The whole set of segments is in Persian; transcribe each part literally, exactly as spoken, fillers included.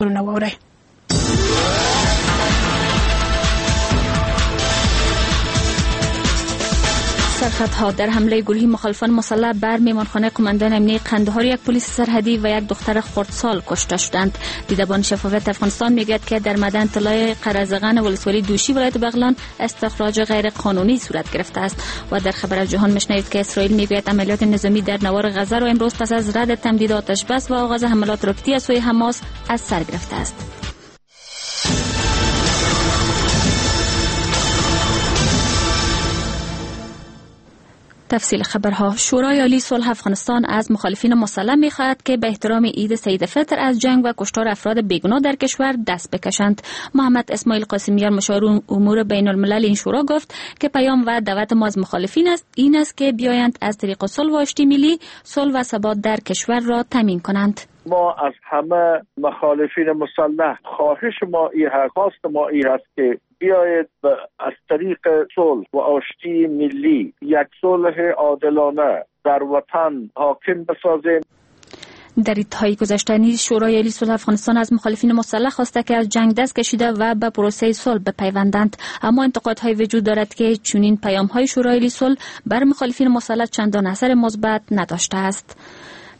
خبرونه واورئ. سرخطها: در حمله گروهی مخالفان مسلح بر میمانخانه قماندان امنی قندهار یک پلیس سرحدی و یک دختر خردسال کشته شدند. دیدبان شفافیت افغانستان میگوید که در معدن طلای قرزغن ولسوالی دوشی ولایت بغلان استخراج غیر قانونی صورت گرفته است. و در خبر از جهان میشنوید که اسرائیل میگوید عملیات نظامی در نوار غزه را امروز پس از رد تمدید آتش بس و آغاز حملات راکتی از سوی حماس از سر گرفته است. تفصیل خبرها: شورای عالی صلح افغانستان از مخالفین مسلح می‌خواهد که به احترام عید سعید فطر از جنگ و کشتار افراد بیگناه در کشور دست بکشند. محمد اسماعیل قاسمیار مشاور امور بین الملل این شورا گفت که پیام و دعوت ما از مخالفین است این است که بیایند از طریق صلح و آشتی ملی صلح و ثبات در کشور را تامین کنند. ما از همه مخالفین مسلح خواهش ما این هست، خواست ما این هست که بیایید از طریق صلح و آشتی ملی یک صلح عادلانه در وطن حاکم بسازیم. در ایدهای گذشته نیز شورای عالی صلح افغانستان از مخالفین مسلح خواسته که از جنگ دست کشیده و به پروسه صلح بپیوندند، اما انتقادهای وجود دارد که چنین پیام‌های شورای عالی صلح بر مخالفین مسلح چندان اثر مثبت نداشته است.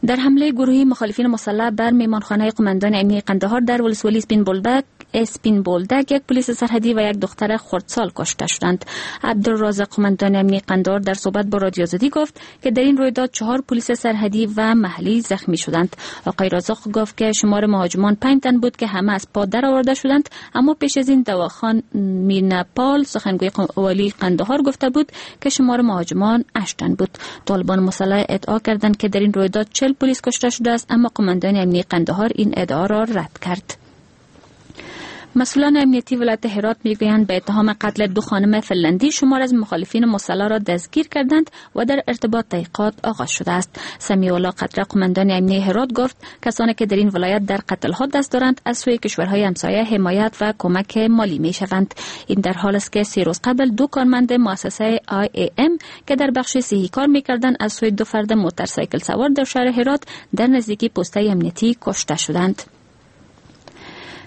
در حمله گروهی مخالفین مسلح بر میمانخانه قماندان امنی قندهار در ولسوالی اسپین بولدک اسپین بولدک یک پلیس سرحدی و یک دختر خردسال کشته شدند. عبدالرازق قماندان امنی قندهار در صحبت با رادیو آزادی گفت که در این رویداد چهار پلیس سرحدی و محلی زخمی شدند. آقای رازق گفت که شمار مهاجمان پنج تن بود که همه از پا درآورده شدند، اما پیش از این دواخان میرنپال سخنگوی والی قندهار گفته بود که شمار مهاجمان هشت تن بود. طالبان مسلح ادعا کردند که در این رویداد چهل پلیس کشته شده است، اما قماندان امنی قندهار این ادعا را رد کرد. مسئولان امنیتی ولایت هرات میگویند به اتهام قتل دو خانم فنلندی شمار از مخالفین مسلح را دستگیر کردند و در ارتباط تحقیقات آغاز شده است. سمیع الله قطره قماندان امنی هرات گفت کسانی که در این ولایت در قتل‌ها دست دارند از سوی کشورهای همسایه حمایت و کمک مالی میشوند. این در حال است که سه روز قبل دو کارمند مؤسسه آی ای ام که در بخش صحی کار میکردند از سوی دو فرد موتورسیکل سوار در شهر هرات در نزدیکی پسته امنیتی کشته شدند.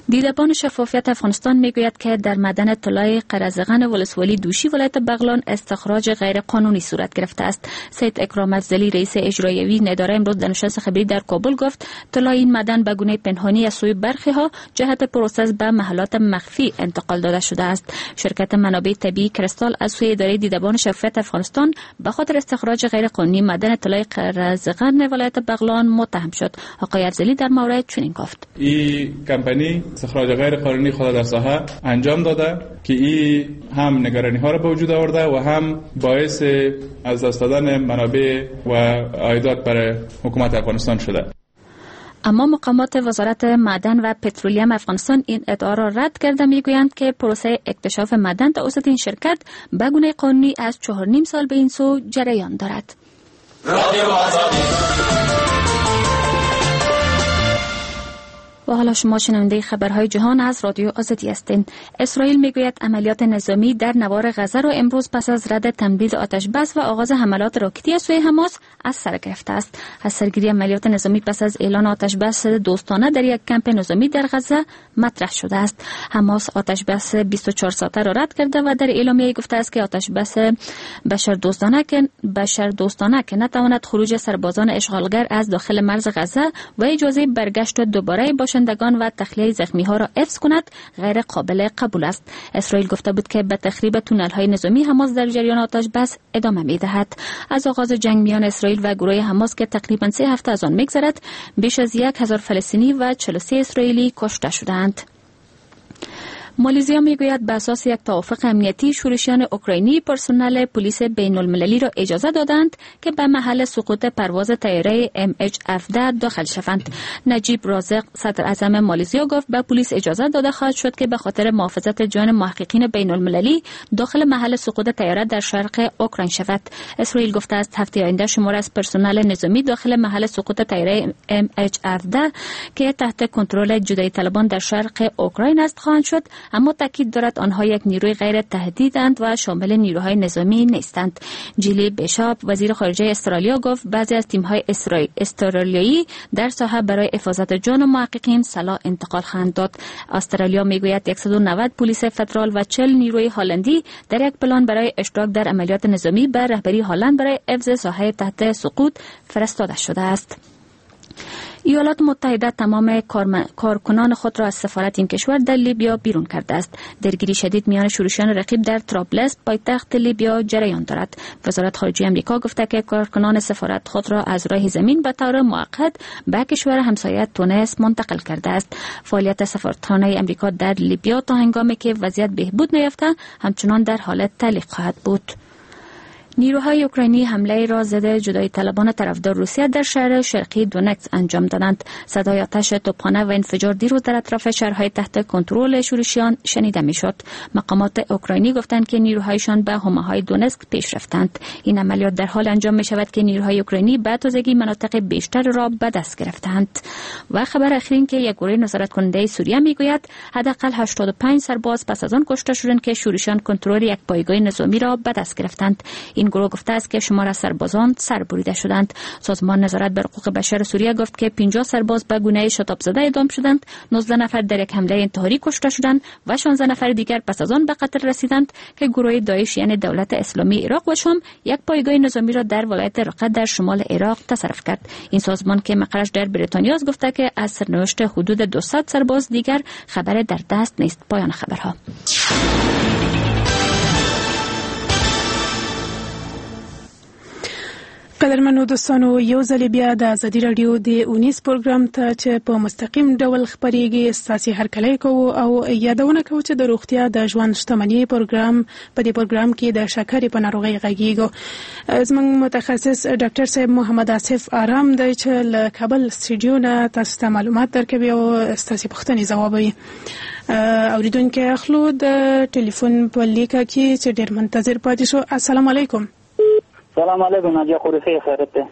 دیدبان شفافیت افغانستان میگوید که در معدن طلای قرزغن ولسوالی دوشی ولایت بغلان استخراج غیر قانونی صورت گرفته است. سید اکرام افضلی رئیس اجرایوی اداره امروز در نشست خبری در کابل گفت طلای این معدن به گونه پنهانی از سوی برخی ها جهت پروسس به محلات مخفی انتقال داده شده است. شرکت منابع طبیعی کریستال از سوی اداره دیدبان شفافیت افغانستان به خاطر استخراج غیر قانونی معدن طلای قرزغن ولایت بغلان متهم شد. آقای افضلی در مورد چنین گفت: این کمپانی استخراج غیر قانونی خود در ساحه انجام داده که این هم نگرانی ها را به وجود آورده و هم باعث از دست دادن منابع و عایدات برای حکومت افغانستان شده. اما مقامات وزارت معدن و پترولیم افغانستان این ادعا را رد کرده میگویند که پروسه اکتشاف معدن توسط این شرکت به گونه قانونی از چهار نیم سال به این سو جریان دارد. و حالا شما شنونده خبرهای جهان از رادیو آزادی هستید. اسرائیل میگوید عملیات نظامی در نوار غزه را امروز پس از رد تمدید آتش بس و آغاز حملات راکتی از سوی حماس از سر گرفته است. از سرگیری عملیات نظامی پس از اعلان آتش بس دوستانه در یک کمپ نظامی در غزه مطرح شده است. حماس آتش بس بیست و چهار ساعته را رد کرده و در اعلامیه گفته است که آتش بس بشر دوستانه که بشر دوستانه که نتواند خروج سربازان اشغالگر از داخل مرز غزه و اجازه برگشت دوباره باشندگان و تخلیه زخمی ها را حفظ کند غیر قابل قبول است. اسرائیل گفته بود که به تخریب تونل های نظامی حماس در جریان آتش بس ادامه می دهد. از آغاز جنگ میان اسرائیل و گروه حماس که تقریبا سه هفته از آن میگذرد بیش از یک هزار فلسطینی و چهل و سه اسرائیلی کشته شدند. مالزیا میگوید به اساس یک توافق امنیتی شورشیان اوکراینی پرسنل پلیس بین المللی را اجازه دادند که به محل سقوط پرواز طیاره ام اچ هفده داخل شوند. نجیب رازق صدر اعظم مالزیا گفت به پلیس اجازه داده خواهد شد که به خاطر محافظت جان محققین بین المللی داخل محل سقوط طیاره در شرق اوکراین شود. اسرائیل گفته است هفته آینده شمار از پرسنل نظامی داخل محل سقوط طیاره ام اچ هفده که تحت کنترل جدایی طلبان در شرق اوکراین است خواهند شد اما تاکید دارد آنها یک نیروی غیر تهدیدند و شامل نیروهای نظامی نیستند. جیلی بیشاپ وزیر خارجه استرالیا گفت بعضی از تیم‌های استرالیایی در ساحه برای حفاظت جان محققین سلاح انتقال خواهند داد. استرالیا میگوید صد و نود پلیس فدرال و چهل نیروی هلندی در یک پلان برای اشتراک در عملیات نظامی به رهبری هلند برای حفظ ساحه تحت سقوط فرستاده شده است. ایالات متحده تمام کارکنان خود را از سفارت این کشور در لیبیا بیرون کرده است. درگیری شدید میان شورشیان رقیب در طرابلس پایتخت لیبیا جریان دارد. وزارت خارجه آمریکا گفته که کارکنان سفارت خود را از راه زمین به طور موقت به کشور همسایه تونس منتقل کرده است. فعالیت سفارتخانه آمریکا در لیبیا تا هنگامی که وضعیت بهبود نیافته همچنان در حالت تعلیق خواهد بود. نیروهای اوکراینی حمله را ضد جدایی طلبان طرفدار روسیه در شهر شرقی دونتسک انجام دادند. صدای آتش توپخانه و انفجار دیروز در اطراف شهرهای تحت کنترل شورشیان شنیده میشد. مقامات اوکراینی گفتند که نیروهایشان به حومه‌های دونتسک پیش رفتند. این عملیات در حال انجام می شود که نیروهای اوکراینی به تازگی مناطق بیشتر را به دست گرفتند. و خبر اخیر که یک گروه نظارت کننده سوریه میگوید حداقل هشتاد و پنج سرباز پس از آن کشته شدند که شورشیان کنترل یک پایگاه نظامی را به دست گرفتند. این گروه گفته است که شمار از سربازان سر بریده شدند. سازمان نظارت بر حقوق بشر سوریه گفت که پنجاه سرباز به گونه شتاب زده اعدام شدند، نوزده نفر در یک حمله انتحاری کشته شدند و شانزده نفر دیگر پس از آن به قتل رسیدند که گروه داعش یعنی دولت اسلامی عراق و شام یک پایگاه نظامی را در ولایت رقه در شمال عراق تصرف کرد. این سازمان که مقرش در بریتانیا است گفته که از سرنوشت حدود دویست سرباز دیگر خبر در دست نیست. پایان خبرها. قدرمنو دوستانو، یو ځل بیا د ازادي راډیو د اونیز پروګرام ته چې په مستقیم ډول خپرېږي ستاسې هرکلی کوو او یادونه کوو چې د روغتیا د ژوند شتمني پروګرام په دې پروګرام کې د شکرې په ناروغۍ غږیږو. زموږ متخصص ډاکټر صاحب محمد آصف آرام دی چې له کابل سټډیو نه تاسو ته معلومات درکوي او ستاسې پوښتنې ځوابوي. اوریدونکي اخلو د ټلیفون په لیکه کې چې ډېر منتظر پاتې شو. السلام علیکم. سلام علیکم ناجیه خورخی، خیرت ده؟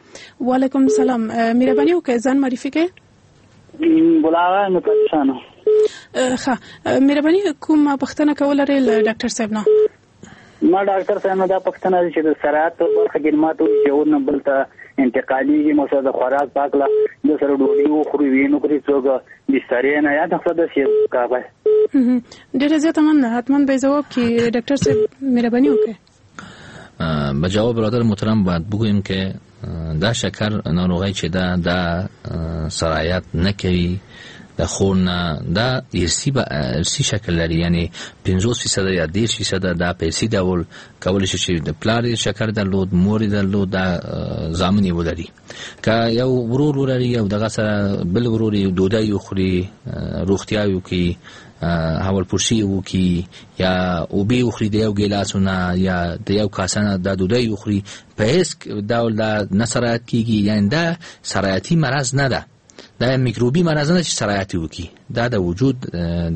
وعلیکم سلام. مهرباني وکړئ ځان معرفي کړئ. ګل آغا متشانو. ښه، مهرباني کوم پوښتنه کوله لرئ له ډاکټر صاحب نه؟ ما ډاکټر صاحب نه دا پوښتنه ده چې د سرایت په برخه کې ماته وایي چې یو نه بل ته انتقالېږي، مثلا د خوراک په هکله د سره ډوډۍ وخوري ویې نه خوري څوک بسترې نه یا د څه داسې کابل. ډېره زیاته مننه، حتما به ځواب کړي ډاکټر صاحب، مهرباني وکړئ. به جواب برادر محترم باید بگوییم که دا شکر ناروغی چې دا دا سرایت نه کوي، د خور نه دا ارثي به ارثي شکل لري، یعنی پنځوس فیصد یا دېرش فیصد دا په ارثي ډول کولی شي چې د پلار شکر درلود، مور درلود، دا زامن یې ولري. که یو ورور ولري یو دغه سره بل ورور یې ډوډۍ وخوري، روغتیا یې وکړي، حول پرسی وکړي یا اوبه وخوري د یو ګیلاسونه یا د یو کاسه د ډوډۍ وخوري، په هیڅ ډول دا نه سرایت کیږي. یعنی دا سرایتي مرض نه ده، دا میکروبي مرض نه چې سرایتي وکړي، دا د وجود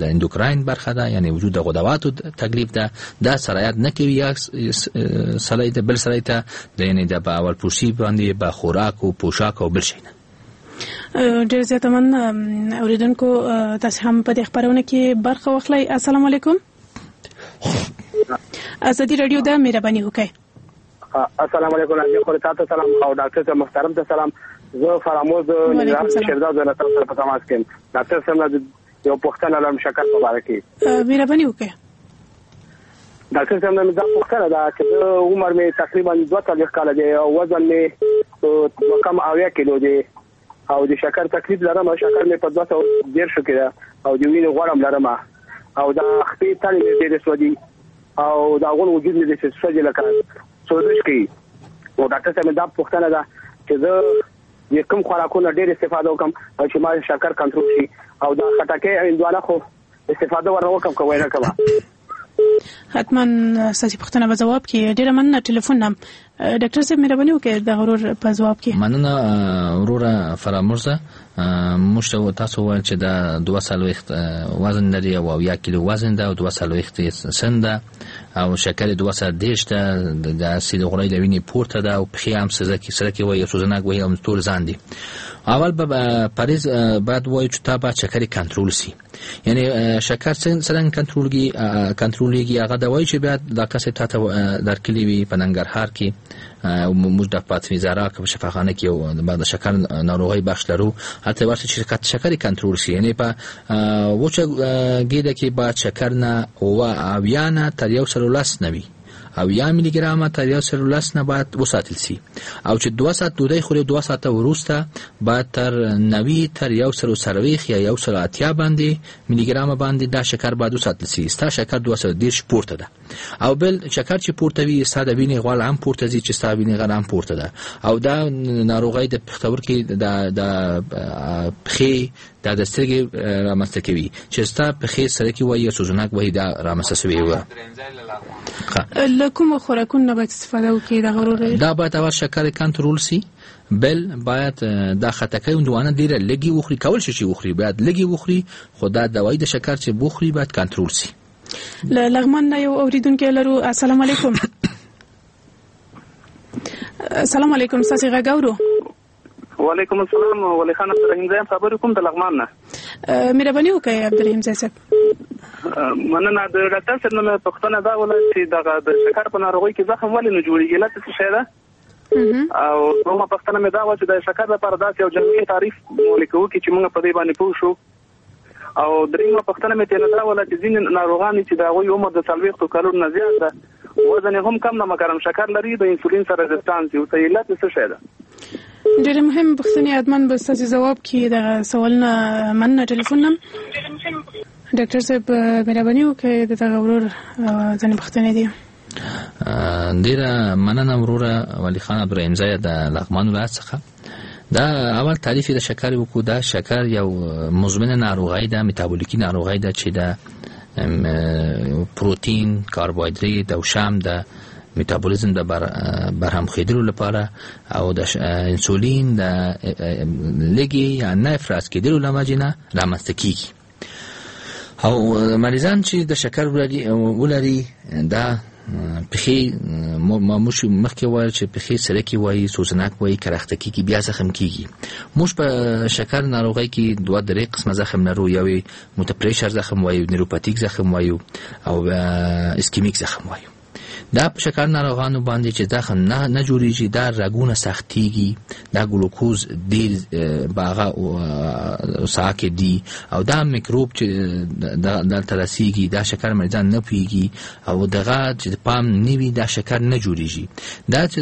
د اندوکراین برخه ده، یعنی وجود د غدواتو تکلیف ده، دا سرایت نه کوي یا سړی ته بل سړی ته، یعنی د اول پرسی باندې به خوراک او پوشاک او بل شي نه. ډېر زیاته مننه اوریدونکو، تاسو هم په دې خپرونه کې برخه واخلئ. السلام علیکم. ازادي راډیو ده، مهرباني وکړئ. السلام علیکم ناجیه خور، تاسو سلام او ډاکټر صاحب محترم ته سلام. زه فراموز نظام شیرزاد زه تاسو سره په تماس کې یم. ډاکټر صاحب یو پوښتنه لرم شکر په اړه کې. مهرباني وکړئ. ډاکټر صاحب مې دا پوښتنه ده چې عمر مې تقریبا دوه څلوېښت کاله دی او وزن مې دوه کم اویا کیلو دی او د شکر تکلیف لرم، شکر مې په دوه سوه دېرشو کې ده او د وینې غوړ هم لرم او دا خپې تلې مې ډېرې سوځي او دا غون وجود مې داسې سوځي لکه سوزش کوي. نو ډاکټر صاحب دا پوښتنه ده چې زه د کوم خوراکونو ډېر استفاده وکړم او چې ما شکر کنټرول شي او دا خټکی او هندوانه خو استفاده ورنه وکړم که ونه کوم؟ حتما ستاسو پوښتنه به ځواب کړي. ډېره مننه ټلیفون نه. ډاکټر صاحب مهرباني وکړئ د غرور په ځواب کې. مننه وروره فرامرزه. موږ ته تاسو وویل چې دا دوه څلوېښت وزن لري او اویا کیلو وزن ده او دوه څلوېښت سن ده او شکر یې دوه سوه دېرش ده، د اسید غوړی له وینې پورته ده او پښې هم سرکې سرکې وایي او سوزنک وایي او تور ځان دي. اول به پریز باید وایو چې تا باید شکر کنترل سي، یعنی شکر څنګه کنترلږي کنترلېږي هغه دوایي چې باید ډاکټر صاحب تا ته درکړي وي په ننګرهار کې. موږ د فاطمې زهرا په شفاخانه کې یو د شکر ناروغۍ بخش لرو، هلته ورته چې شکر کنترل شي، یعنی په وچه ګېډه کې باید شکر نه اووه اویا نه تر یو سل لس نه وي، او یا میلی ګرامه تر یو سل لس نه باید وساتل سي، او چې دوه ساعت ډوډۍ خوري دوه ساعته وروسته باید تر نوي تر یو سل څلوېښت یا یو سل اتیا باندې میلی ګرامه باندې دا شکر باید وساتل سي. ستا شکر دوه سوه دېرش پورته ده، او بل شکر چې پورته وي ستا د وینې غوړ هم پورته ځي چې ستا وینې غوړ هم پورته ده، او دا ناروغۍ د پښتورګي د د پښې دا د سترګې رامنځته کوي چې ستا پښې سرکې وایي سوزناک وایي دا رامنځته شوې وه. له کومو خوراکونو نه باید استفاده وکړي دغه ورور؟ دا باید اول شکر کنترل سي، بل باید دا خټکی هندوانه ډېره لږې وخوري، کول شي چې وخوري باید لږې وخوري، خو دا دوایي د شکر چې بخوري باید کنترل سي. له لغمان نه یو اورېدونکی لرو. السلام علیکم. السلام علیکم، ستاسې غږ اورو. وعلیکم السلام، ولی خان عبدالرحیم زی خبرې کوم د لغمان نه. مهرباني وکړئ عبدالرحیم زی صاحب. مننه. د ډاکټر صاحب نه پوښتنه دا وله چې دغه د شکر په ناروغۍ کې زخم ولې نه جوړېږي، علت څه شی ده؟ او دوهمه پوښتنه مې دا وه چې د شکر لپاره داسې یو جامع تعریف ولیکو کې چې موږ په دې باندې پوه شو. او درېیمه پوښتنه مې ترې دا وله چې ځینې ناروغان چې د هغوی عمر د څلوېښتو کلونو نه زیات ده، وزن یې هم کم نه مګر شکر لري، د انسولین سره resistance وي، ورته علت یې څه شی ده؟ ډېرې مهمې پوښتنې، حتماً به ستاسې ځواب کړي دغه سوالونه. مننه ټلیفون نه. ډاکټر صاحب مهرباني وکړئ د دغه ورور ځینې پوښتنې دي. ډېره مننه وروره ولي خان عبدالرحیم زی د لغمان ولایت څخه. دا اول تعریف د شکر وکړو. دا شکر یو مزمنه ناروغي ده، میتابولیکي ناروغي ده چې د پروتین، کاربوهایدریت او شام د میتابولیزم د بر برهم کېدلو لپاره او د انسولین د لږې یا نه افراز کېدلو له وجې نه رامنځته کېږي. او مریضان چې د شکر ولري ولري دا پښې ما موږ مخکې وویل چې پښې سرکې وایي، سوزناک وایي، کرخته کېږي، بیا زخم کېږي. موږ په شکر ناروغۍ کې دوه درې قسمه زخم لرو، یو یې متپریشر زخم وایو، نیوروپاتیک زخم وایو او اسکیمیک زخم وایو. دا په شکر ناروغانو باندې چې زخم نه نه جوړیږي، دا رګونه سختیږي، دا ګلوکوز ډیر په هغه ساحه کې دی، او دا میکروب چې دلته رسیږي دا شکر مریضان نه پوهیږي او دغه چې پام نه وي دا شکر نه جوړیږي. دا چې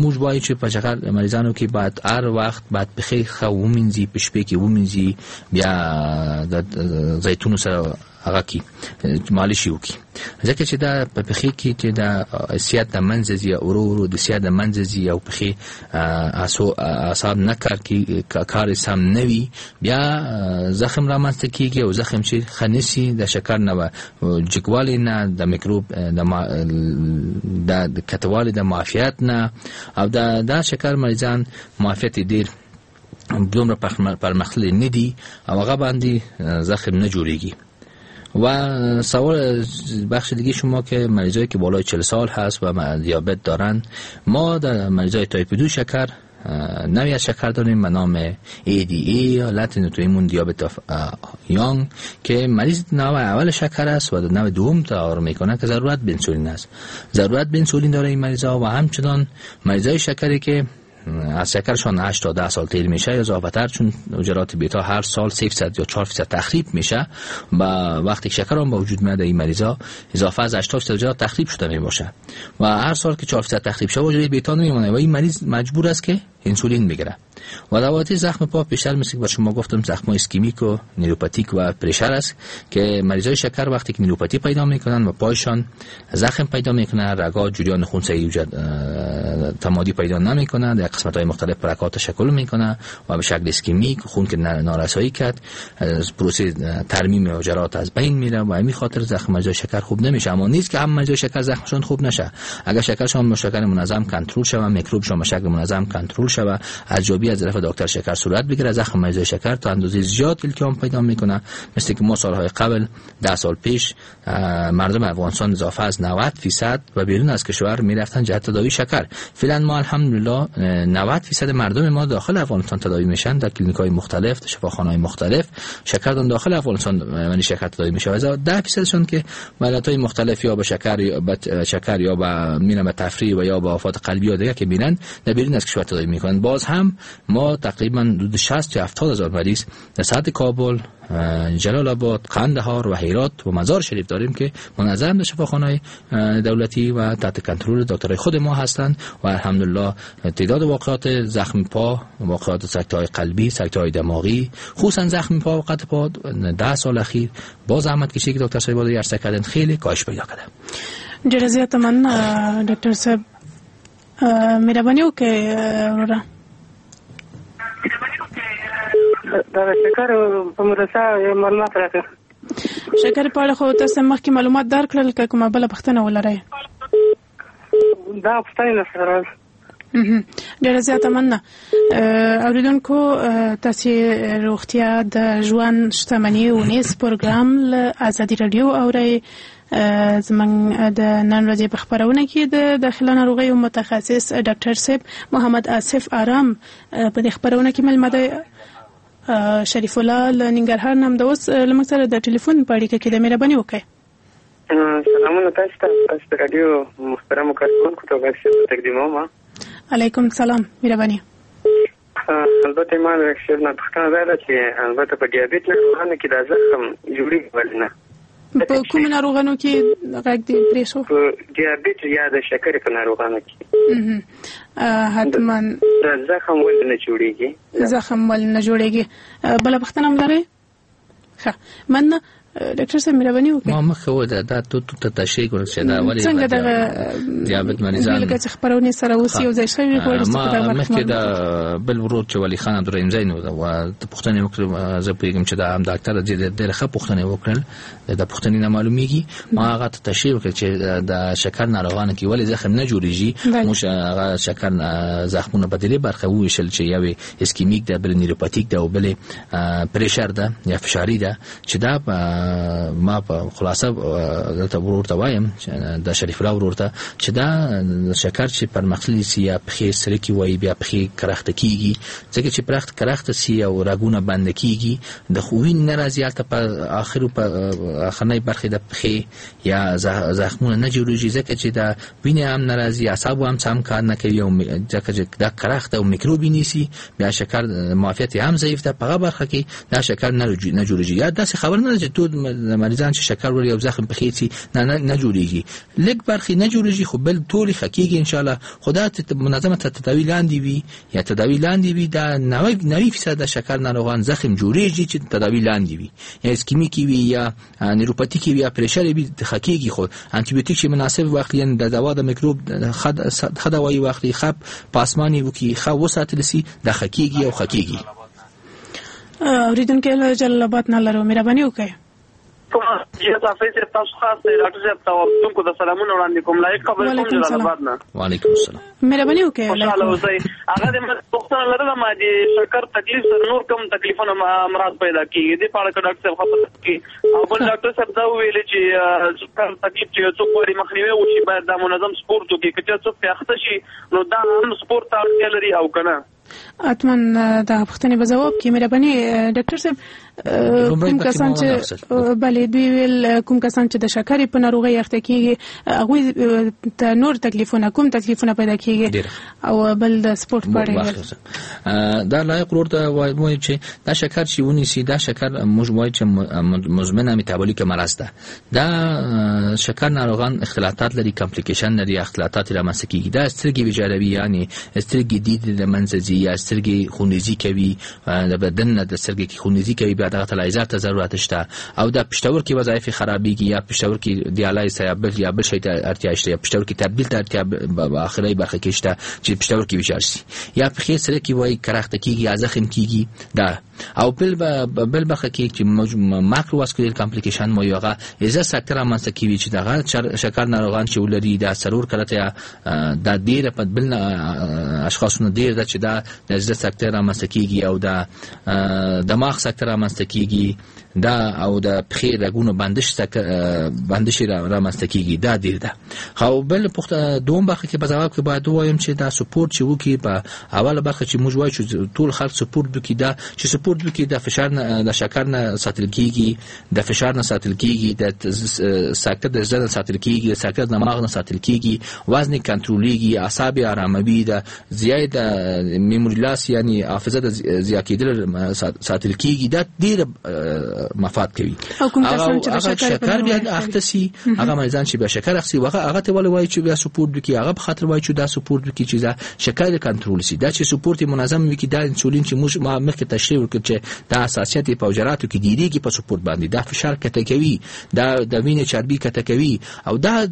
موږ وایو چې په شکر مریضانو کې باید هر وخت باید پښې ښه ومینځي، په شپې کې ومینځي، بیا د زیتونو سره هغه کې مالش وکړي، ځکه چې دا په پښې کې چې دا سیاد د منځه ځي، ورو ورو د سیاد د منځه ځي او پښې اعصاب نه کار کوي، کار یې سم نه وي، بیا زخم رامنځته کېږي او زخم چې ښه نه سي د شکر نه جګوالي نه، د میکروب د کتوالي د معافیت نه، او دا دا شکر مریضان معافیت یې ډېر دومره پرمختللی نه دي او هغه باندې زخم نه جوړیږي. و سوال بخش دیگه شما که مریضایی که بالای چهل سال هست و دیابت دارن، ما در مریضای تایپ دو شکر نوعی از شکر داریم به نام ای دی ای یا Latent autoimmune دیابت of young که مریض نوع اول شکر است و نوع دوم تداوی میکنه که ضرورت به انسولین است. ضرورت به انسولین داره این مریضا و همچنان مریضای شکری که از شکرشان هشت تا ده سال تیر میشه یا اضافه، چون حجرات بیتا هر سال سه درصد یا چهار درصد تخریب میشه و وقتی شکر هم به وجود میاد این مریضا اضافه از هشتاد درصد حجرات تخریب شده میباشه و هر سال که چهار درصد تخریب شه حجره بیتا نمیمونه و این مریض مجبور است که انسولین بگیره. و دواتي زخم پا بیشتر مثل که شما گفتم زخم اسکیمیک و نیوروپاتیک و pressure است که مریضای شکر وقتی که نیوروپاتی پیدا میکنن و پایشان زخم پیدا میکنن، رگا جریان خون صحیح تمادی پیدا نمیکنن، در قسمت های مختلف پرکات تشکل میکنه و به شکل اسکیمیک خون که نارسایی کرد پروسه ترمیم حجرات از بین میره و همین خاطر زخم مریضای شکر خوب نمیشه. اما نیست که هم مریضای شکر زخمشون خوب نشه، اگر شکرشون به شکل منظم کنترل شود، میکروبشون به شکل منظم کنترل شوه، ارزیابی از طرف دکتر شکر صورت بگیره. زخم مریضای شکر تا اندازه زیاد التیام پیدا میکنه، مثل که ما سالهای قبل ده سال پیش مردم افغانستان اضافه از نود درصد و بیرون از کشور میرفتن جهت تداوی شکر. فعلا ما الحمدلله نود درصد مردم ما داخل افغانستان تداوی میشن، در کلینیک های مختلف، در شفاخانه‌های مختلف شکر داخل افغانستان یعنی شکر تداوی میشه. و ده درصدشون که علت‌های مختلف یا به شکر یا به شکر یا به میرن به تفریح و یا به آفات قلبی یا دیگه که میرن در بیرون از کشور تداوی میکنن. باز هم ما تقریبا حدود شصت تا هفتاد هزار مریض در سطح کابل، جلال آباد، قندهار و هرات و مزار شریف داریم که منظم در شفاخانه‌های دولتی و تحت کنترل دکترای خود ما هستند و الحمدلله تعداد واقعات زخم پا، واقعات سکته‌های قلبی، سکته‌های دماغی، خصوصا زخم پا و قطع پا ده سال اخیر با زحمت کشی که دکتر صاحب عرضه کردن خیلی کاهش پیدا کرده. ډیره زیاته مننه ډاکټر صاحب، مهرباني وکړئ وروره. دا شکر په مرسته معلومات راکړه. شکر په اړه خو تاسو مخکې معلومات درکړل، که کومه بله پوښتنه ولرئ؟ دا پوښتنه نه سره. ډیره زیاته مننه. اوریدونکو تاسو روغتیا د ژوند شتمني اونیز پروګرام له ازادي رادیو اورئ. زمونږ د نن ورځې په خپرونه کې د داخله ناروغیو متخصص ډاکټر صاحب محمد آصف آرام په دې خپرونه کې مېلمه دی. شریف الله له ننګرهار نه همدا اوس له موږ سره د ټلیفون په اړیکه کې دی، مهرباني وکړئ. سلامونه تاسو ته، تاسو د رادیو محترمو کارکوونکو ته غږ تقدیموم. علیکم سلام، مهرباني. البته ما د ډاکټر نه پوښتنه دا ده چې البته په دیابت ناروغانو کې دا زخم جوړېږي ولې نه؟ په کوم ناروغانو کې غږ دې پرې شو؟ په دیابت یا د شکرې په ناروغانو کې. حتما دا زخم ولې نه جوړېږي؟ زخم ولې نه جوړېږي؟ بله پوښتنه هم لرئ؟ ښه، مننه ډاکټر صاحب، مهرباني وکړئ. ما مخکې وویل دا تو ته تشریح کړل چې دا ولې څنګه دغه دیابت مریضان لکه چې خپرونې سره اوس یو ځای شوي غواړي. ما مخکې دا بل ورور چې ولي خان عبدالرحیم زی نو و پوښتنې وکړې، زه پوهېږم چې دا هم ډاکټر ډېره ښه پوښتنې وکړل، د پوښتنې نه معلومیږي. ما هغه ته تشریح وکړه چې د شکر ناروغانو کې ولې زخم نه جوړیږي. موږ هغه شکر زخمونه په درې برخه وویشل چې یوې اسکیمیک ده، بل نیوروپاتیک ده او بلې پریشر ده یا فشاري ده. چې دا ما په خلاصه دلته ورور ته وایم، د شریف الله ورور ته، چې دا شکر چې پرمختللي سي یا پښې سرکې وایي، بیا پښې کرخته کیږي، ځکه چې پرخت کرخته سي او رګونه بند کیږي، د وینې نه راځي هلته په آخرو په آخرنۍ برخې د پښې یا زخمونه نه جوړیږي، ځکه چې دا وینې هم نه راځي، اعصابو هم سم کار نه کوي، او ځکه چې دا کرخته او میکروبي نیسي، بیا شکر معافیت هم ضعیف ده، په هغه برخه کې دا شکر نه جوړیږي. یا داسې خبر نه ده چې ټول مریضان چې شکر ولري او زخم پخې سي نه نه, نه جوړیږي، لږ برخې نه جوړیږي خو بل ټولې ښه کیږي ان شاء الله. خو دا منظمه تداوي لاندې وي یا تداوي لاندې وي، دا نوي فیصد شکر ناروغان زخم جوړیږي چې تداوي لاندې وي، یا اسکیمیکي وي یا نیوروپاتیکي وي یا پریشر وي، ښه کیږي. خو انټي بیوتیک چې مناسب واخلي، د دوا د میکروب ښه دوايي واخلي، ښه پاسماني وکړي، ښه وساتل سي، دا ښه کیږي او ښه کیږي. اوریدونکي له جلال آباد نه لرو، مهرباني وکړئ. سلامونه وړاندې کوم، لایق خبرې کوم جلال آباد نه. وعلیکم السلام، مهرباني وکړئ. خوشاله اوسئ. هغه د پوښتنه لرله ما د شکر تکلیف سره نور کوم تکلیفونه امراض پیدا کیږي، دې په اړه که ډاکټر صاحب خبر کړي. او بل ډاکټر صاحب دا وویل چې شکر تکلیف چې څوک غواړي مخنیوی وشي باید دا منظم سپورت وکړي، که چېرې څوک پرې اخته شي نو دا هم سپورت ته اړتیا لري او که نه؟ حتما دا پوښتنې به ځواب کړي. مهرباني ډاکټر صاحب. کوم کسان چې بله دوی ویل کوم کسان چې د شکرې په ناروغۍ اخته کیږي هغوی ته نور تکلیفونه کوم تکلیفونه پیدا کیږي، او بل د سپورت په اړه. دا لایق ورور ته وایي چې دا شکر چې ونیسي، دا شکر موږ وایو چې مزمنه میتابولیک مرض ده. دا شکر ناروغان اختلاطات لري، کمپلیکیشن لري، اختلاطات رامنځته کیږي. دا سترګې ویجاړوي، یعنی سترګې دید له منځه ځي یا سترګې خونریزي کوي، د بدن نه د سترګې کې خونریزي کوي، بیا دغه تلایزات ته ضرورت شته. او دا پښتورګي وظایف خرابېږي، یا پښتورګي دیالایز یا بل یا بل شي ته اړتیا شته، یا پښتورګي تبدیل ته اړتیا په اخري برخه کې شته چې پښتورګي ویجاړ شي، یا پښې سره کې وایي کرخته کیږي یا زخم کیږي. دا او بل بل برخه کې چې macrovascular complication مو هغه زړه سکته رامنځته کوي چې دغه شکر ناروغان چې ولري دا څلور کله ته دا ډیره په بل اشخاصونو ډیر ده چې دا د زړه سکته رامنځته کیږي او دا دماغ سکته رامنځته کیږي دا او د پښې رګونو بندش بندش رامنځته کیږي دا ډیر ده. خو بل پوښتنه دوم برخه کې په ځواب کې باید ووایم چې دا سپورت چې وکړي په اوله برخه چې موږ وایو چې ټول خلک سپورت وکړي، دا چې سپورت وکړي د فشار نه د شکر نه ساتل کیږي، د فشار نه ساتل کیږي، د سکته د زړه نه ساتل کیږي، د سکته د دماغ نه ساتل کیږي، وزن کنټرولیږي، اعصاب آراموي، د زیات memory loss یعنی حافظه د زیات کېدل ساتل کیږي. دا ډیر مفاد کوي. او کوم کسان چې د شکر بیا اخته سي، هغه مریضان چې بیا شکر اخلي هغه هغه ته ولې وایي چې بیا سپورت وکړي، هغه په خاطر وایي چې دا سپورت وکړي چې دا شکر کنټرول سي. دا چې سپورت منظم وکړي، دا انسولین چې موږ ما مخکې تشریح وکړ چې دا حساسیت په حجراتو کې ډیریږي په سپورت باندې، دا فشار کته کوي، دا د وینې چربي کته کوي او دا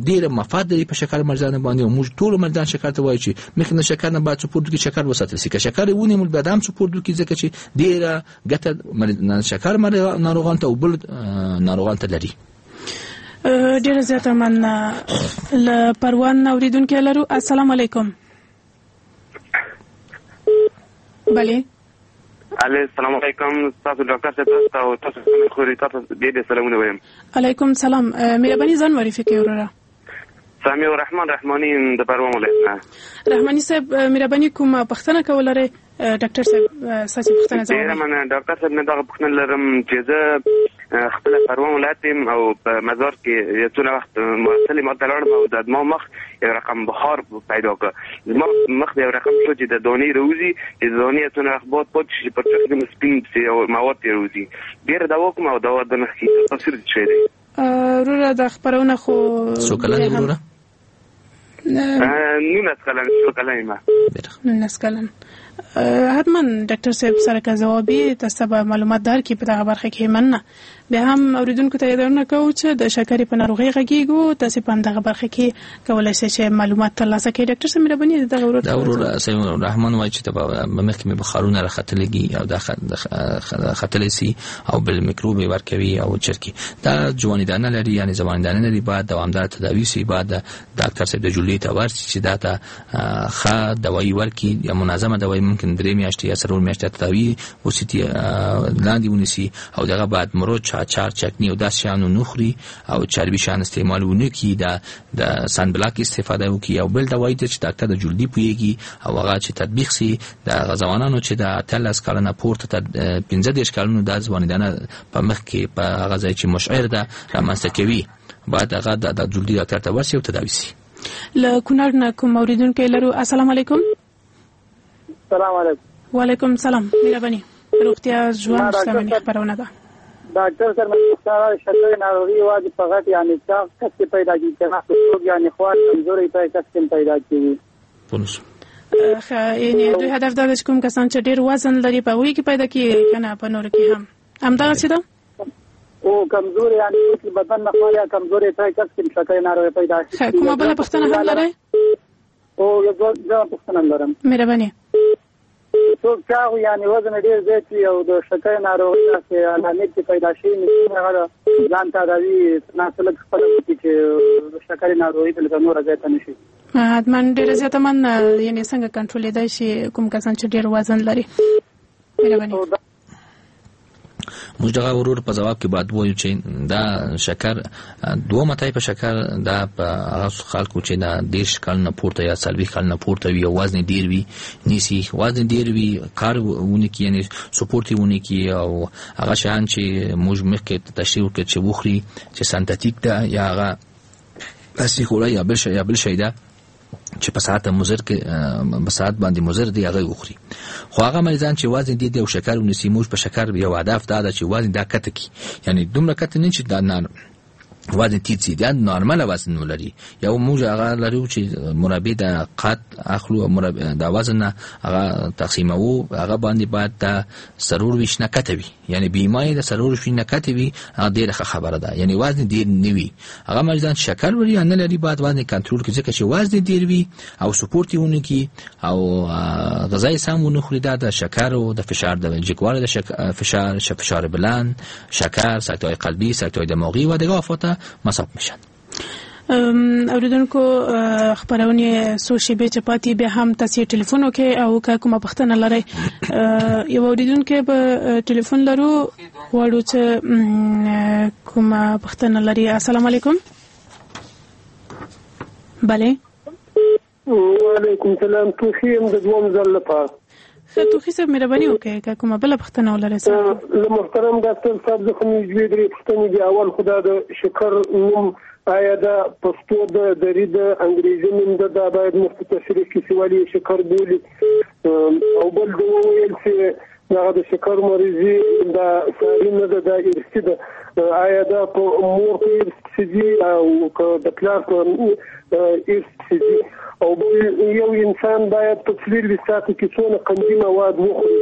ډیر مفاد لري په شکر مریضانو باندې. موږ ټول مریضان شکر ته وایي چې مخکې نه شکر نه باید سپورت وکړي، شکر وساتل سي، که شکر ونیول بیا هم سپورت وکړي، ځکه چې ډیره ګټه شکر ناروغان ته او بل ناروغان ته لري. ډیره زیاته مننه. له پروان اوریدونکي لرو. السلام علیکم. بله. علی السلام علیکم. تاسو ډاکټر صاحب تاسو تاسو خوري تاسو دې دې سلامونه وایم. علیکم سلام. مهرباني ځان معرفي کړئ وروره. سامي الرحمن رحماني د پروان ولایت نه. رحماني صاحب مهرباني کوم پوښتنه کولای ډاکټر صاحب ستاسو پوښتنه ځواب. ډیره مننه ډاکټر صاحب. نه دغه پوښتنه لرم چې زه خپل پروان ولایت یم او په مزار کې یو څونه وخت محصل ما ته لاړم او د زما مخ یو رقم بخار پیدا کړ. زما مخ یو رقم شو چې د دانې راوځي، چې د دانې څونه وخت باد پاتې شي پر چخ د سپین او مواد یې راوځي. ډېره دوا کوم او دوا د نه ښه تاثیر شوی دی. وروره دا خپرونه خو څو کلن یې وروره؟ نولس کلن. څو کلن یم؟ نولس کلن. حتما ډاکټر صاحب سره که ځوابي تاسو به معلومات درکړي په دغه برخه کې. مننه. بیا هم اوریدونکو ته یادونه کوو چې د شکرې په ناروغۍ غږیږو، تاسو په همدغه برخه کې کولای شئ چې معلومات ترلاسه کړئ. ډاکټر صاحب مهرباني دغه ورور دا ورور صاحب رحمان وایي چې په مخکې مې بخارونه راختلي او دا ختلی سي او بل میکروب یې ورکوي او چرکي دا جواني دانه لري، یعنی ځواني دانه لري، باید دوامدار تداوي سي، باید ډاکټر صاحب د جوړې ته ورشي چې دا ته ښه دوایي ورکړي یا منظمه دوایي، ممکن درې میاشتې یا څلور میاشتې تداوي وسي لاندې ونیسي او دغه باید مرچ، اچار، چکنی او داسې شیانو نه خوري او چربي شیان استعمال ونه کړي، د د sun block استفاده وکړي او بل دوایي چې ډاکټر د جلدي پوهېږي او هغه چې تطبیق سي د هغه ځوانانو چې د اتلس کلنه پورته تر پنځه دېرش کلونو دا ځواني دانه په مخ کې په هغه ځای چې مشعر ده رامنځته کوي، باید هغه د جلدي ډاکټر ته ورشي او تداوي سي. له کونړ نه کوم اوریدونکی لرو. السلام علیکم. السلام علیکم. وعلیکم سلام. مهرباني. روغتیا ژوند شتمني خپرونه ده. ډاکټر صاحب مې شکرې ناروغي یوازې په غټ یعنې چاغ کس کې پیدا کېږي که نه څوک یعنې خوار کمزوری په کس کې پیدا کېږي؟ ښه، یعنې دوی هدف دا دی چې کوم کسان چې ډېر وزن لري په هغوی کې پیدا کېږي که نه په نورو کې هم همدغسې ده؟ او کمزوري یعنې چې بدن نه خوار یا کمزوری په کس کې شکرې ناروغي پیدا کېږي. ښه، کومه بله پوښتنه هم لرئ؟ او یو دوه پوښتنه لرم. مهرباني. څوک چاغ یعنې وزن ډېر زیات وي او د شکرې ناروغي داسې علامې چې پیدا شي نو هغه ځان تداوي نه څه لږ خپله وکړي چې د شکرې ناروغي لکه نوره زیاته نه شي. حتما ډېره زیاته مننه. یعنې څنګه کنټرولېدای شي کوم کسان چې ډېر وزن لري؟ مهرباني. موږ دغه ورور په ځواب کې باید ووایو چې دا شکر دوه تایپه شکر دا په هغه خلکو چې دا دېرش کلونه پورته یا څلوېښت کلونه پورته وي او وزن ډېر وي نیسي، وزن ډېر وي، کار ونه کړي، یعنې سپورت یې ونه کړي او هغه شیان چې موږ مخکې تشریح وکړ چې وخوري چې سنتاتیک ده یا هغه اصلي خوړه یا بل شی یا بل شی ده چې په ساعت مضر کې په ساعت باندې مضر دی هغه وخوري. خو هغه مریضان چې وزن دي او شکر ونیسي، موږ په شکر یو هدف دا ده چې وزن دا کته کی، یعنی دومره کته نه چې دا نه وزن تیت سي، دا نارمل وزن ولري. یو موږ هغه لرو چې مربع د قد اخلو، مربع د وزن هغه تقسیموو، هغه باندې باید د څلور ویشت نه کته وي، یعنی بیمای د څلور ویشت نه کته وي، هغه ډیره ښه خبره ده. یعنی وزن ډیر نه وي، هغه مریضان چې شکر ولري یا نه لري باید وزن کنټرول کړي، ځکه چې وزن ډیر وي او سپورت یې ونه کړي او غذا یې سم ونه خوري، دا د شکر او د فشار د جګوالي د فشار، فشار بلند، شکر، سکته‌های قلبی، سکته‌های دماغی و دیگه آفات مصاب میشن. اوریدونکو خبرونه څو شیبې چې پاتې بیا هم تاسو ټلیفون وکړئ او که کومه پوښتنه لرئ. یو اوریدونکی به ټلیفون لرو، غواړو چې کومه پوښتنه لري. السلام علیکم. بله. وعلیکم سلام. توخی یم د دوم ځل لپاره. ښه توخی صاحب مهرباني وکړئ که کومه بله پوښتنه ولرئ. له محترم ډاکټر صاحب څخه مې دوې درې پوښتنې دي. اول خو دا د شکر نوم، آیا دا پښتو ده، دري ده، انګریزي نوم ده؟ دا باید موږ ته تشریح کړي چې ولې یې شکر بولي. او بل ده وویل چې دغه د شکر مریضي دا ساري نه ده، دا ارثي ده. آیا دا په مور په ارث پسې ځي او که د پلار په ارث پسې ځي؟ او بل یو انسان باید په څلوېښت ساعتو کې څونه قندي مواد وخوري،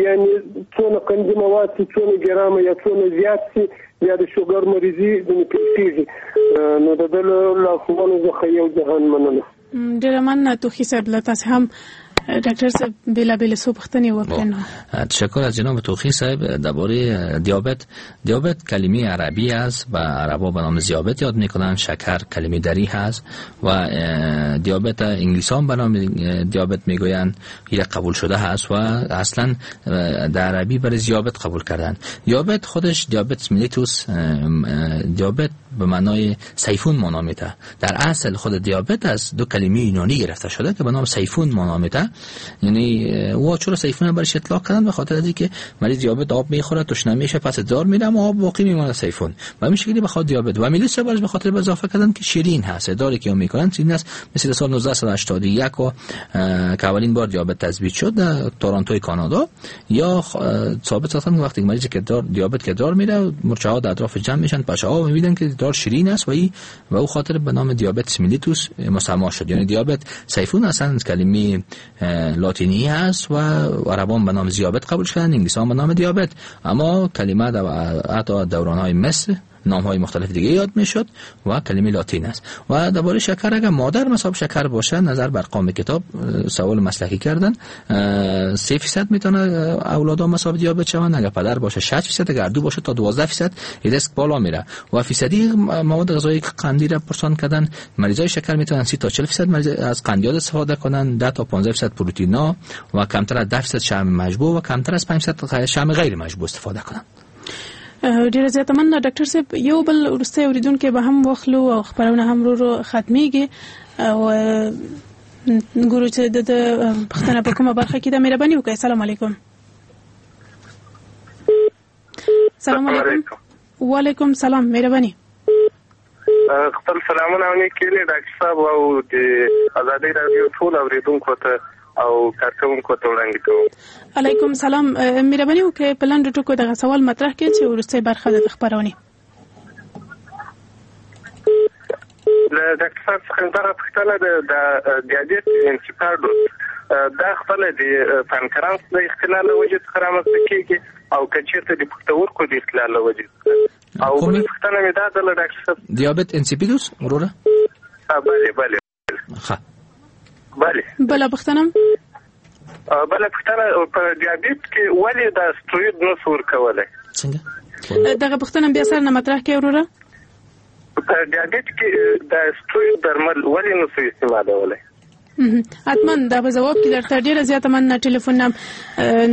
یعنی څونه قندي مواد چې څونه ګرامه یا څونه زیات سي بیا د شوګر مریضي ځینې پېښېږي. نو د ده له لارښوونو څخه یو جهان مننه. ډېره مننه توخي صاحب، له تاسو هم ډاکټر صاحب بیلابیل څو پوښتنې وکړې. تشکر از جناب توخی صاحب. درباره دیابت، دیابت کلمه عربی است و عربا به نام زیابت یاد میکنن. شکر کلمه دری هست و دیابت انگلیسان به نام دیابت میگویند، این قبول شده هست و اصلا در عربی برای زیابت قبول کردن. دیابت خودش دیابت میلیتوس، دیابت به معنای سیفون معنا میده. در اصل خود دیابت از دو کلمه یونانی گرفته شده که به نام سیفون معنا میده. یعنی او چرا سیفون برش اطلاق کردن؟ به خاطر اینکه مریض دیابت آب میخوره، تشنه میشه، پس ادرار میره، اما آب باقی میمونه سیفون. و همین شکلی بخاطر دیابت و میلیتوس برش به خاطر اضافه کردن که شیرین هست. ادراری که میکنن شیرین است. مثل سال نوزده هشتاد و یک و که اولین بار دیابت تثبیت شد در تورنتوی کانادا، یا ثابت ساختن وقتی مریض که دیابت که ادرار میره، مورچه ها در اطراف جمع میشن، پشه ها میبینن که ادرار شیرین است و ای و او خاطر به نام دیابت میلیتوس مسما شد. یعنی دیابت سیفون اصلا کلمه لاتینی هست و عربان به نام زیابت قبول شدن، انگلیسان به نام دیابت. اما کلمه در حتی دوران‌های مصر نام‌های مختلف دیگه یاد میشد و کلمه لاتین است. و درباره شکر، اگر مادر مصاب شکر باشه، نظر بر قام کتاب سوال مسلکی کردن، سه درصد میتونه اولادا مصاب دیابت شوند، اگر پدر باشه شش درصد، اگر دو باشه تا دوازده درصد ریسک بالا میره. و فیصدی مواد غذایی قندی را پرسان کردن، مریضای شکر میتونن سی تا چهل درصد از قندیات استفاده کنن، ده تا پانزده درصد پروتئینا و کمتر از ده درصد شحم مشبوع و کمتر از پنج درصد شحم غیر مشبوع استفاده کنن. ډیره زیاته مننه ډاکټر صاحب. یو بل وروستی اوریدونکی به هم واخلو او خپرونه هم ورو ورو ختمیږي او ګورو چې د پوښتنه په کومه برخه کې ده. مهرباني وکړئ. السلام علیکم. السلام علیکم. وعلیکم سلام. مهرباني. خپل سلامونه او نیکې هیلې ډاکټر صاحب او د ازادي راډیو ټول اوریدونکو ته او کارکوونکو ته وړاندې کوم. علیکم سلام. مهرباني وکړئ په لنډو ټکو دغه سوال مطرح کړئ چې وروستۍ برخه ده د خپرونې. له ډاکټر صاحب څخه دغه پوښتنه ده، د دیابت انسیپیدوس دا خپله د پانکرانس د اختلال له وجې څخه رامنځته کېږي او که چېرته د پښتورګو د اختلال له وجې څخه؟ او بله پوښتنه مې دا ده له ډاکټر صاحب، دیابت انسیپیدوس وروره؟ بله بله. ښه. بله. بله پوښتنه؟ بله پوښتنه، په دیابت کې ولې دا ستروید نه سو ورکولی؟ څنګه؟ دغه پوښتنه بیا سر نه مطرح کړئ وروره. په دیابت کې د ستروید درمل ولې نه سو استعمالولی؟ حتما دا به ځواب کې درته. ډیره زیاته مننه ټلیفون نم.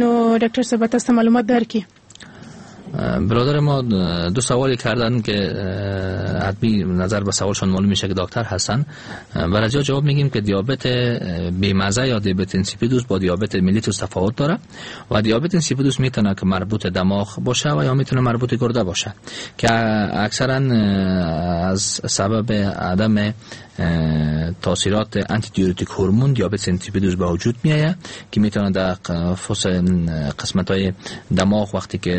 نو ډاکټر صاحب تاسو ته معلومات درکړي. برادر ما دو سوالی کردن که حتمی نظر به سوالشان معلوم میشه که دکتر هستن. برای جواب میگیم که دیابت بیمزه یا دیابت انسیپیدوس با دیابت میلیتوس تفاوت داره و دیابت انسیپیدوس میتونه که مربوط دماغ باشه و یا میتونه مربوط گرده باشه که اکثرا از سبب عدم تاثیرات antidiuretic hormone دیابت insipidus به وجود میآید که میتونه در فس قسمت های دماغ وقتی که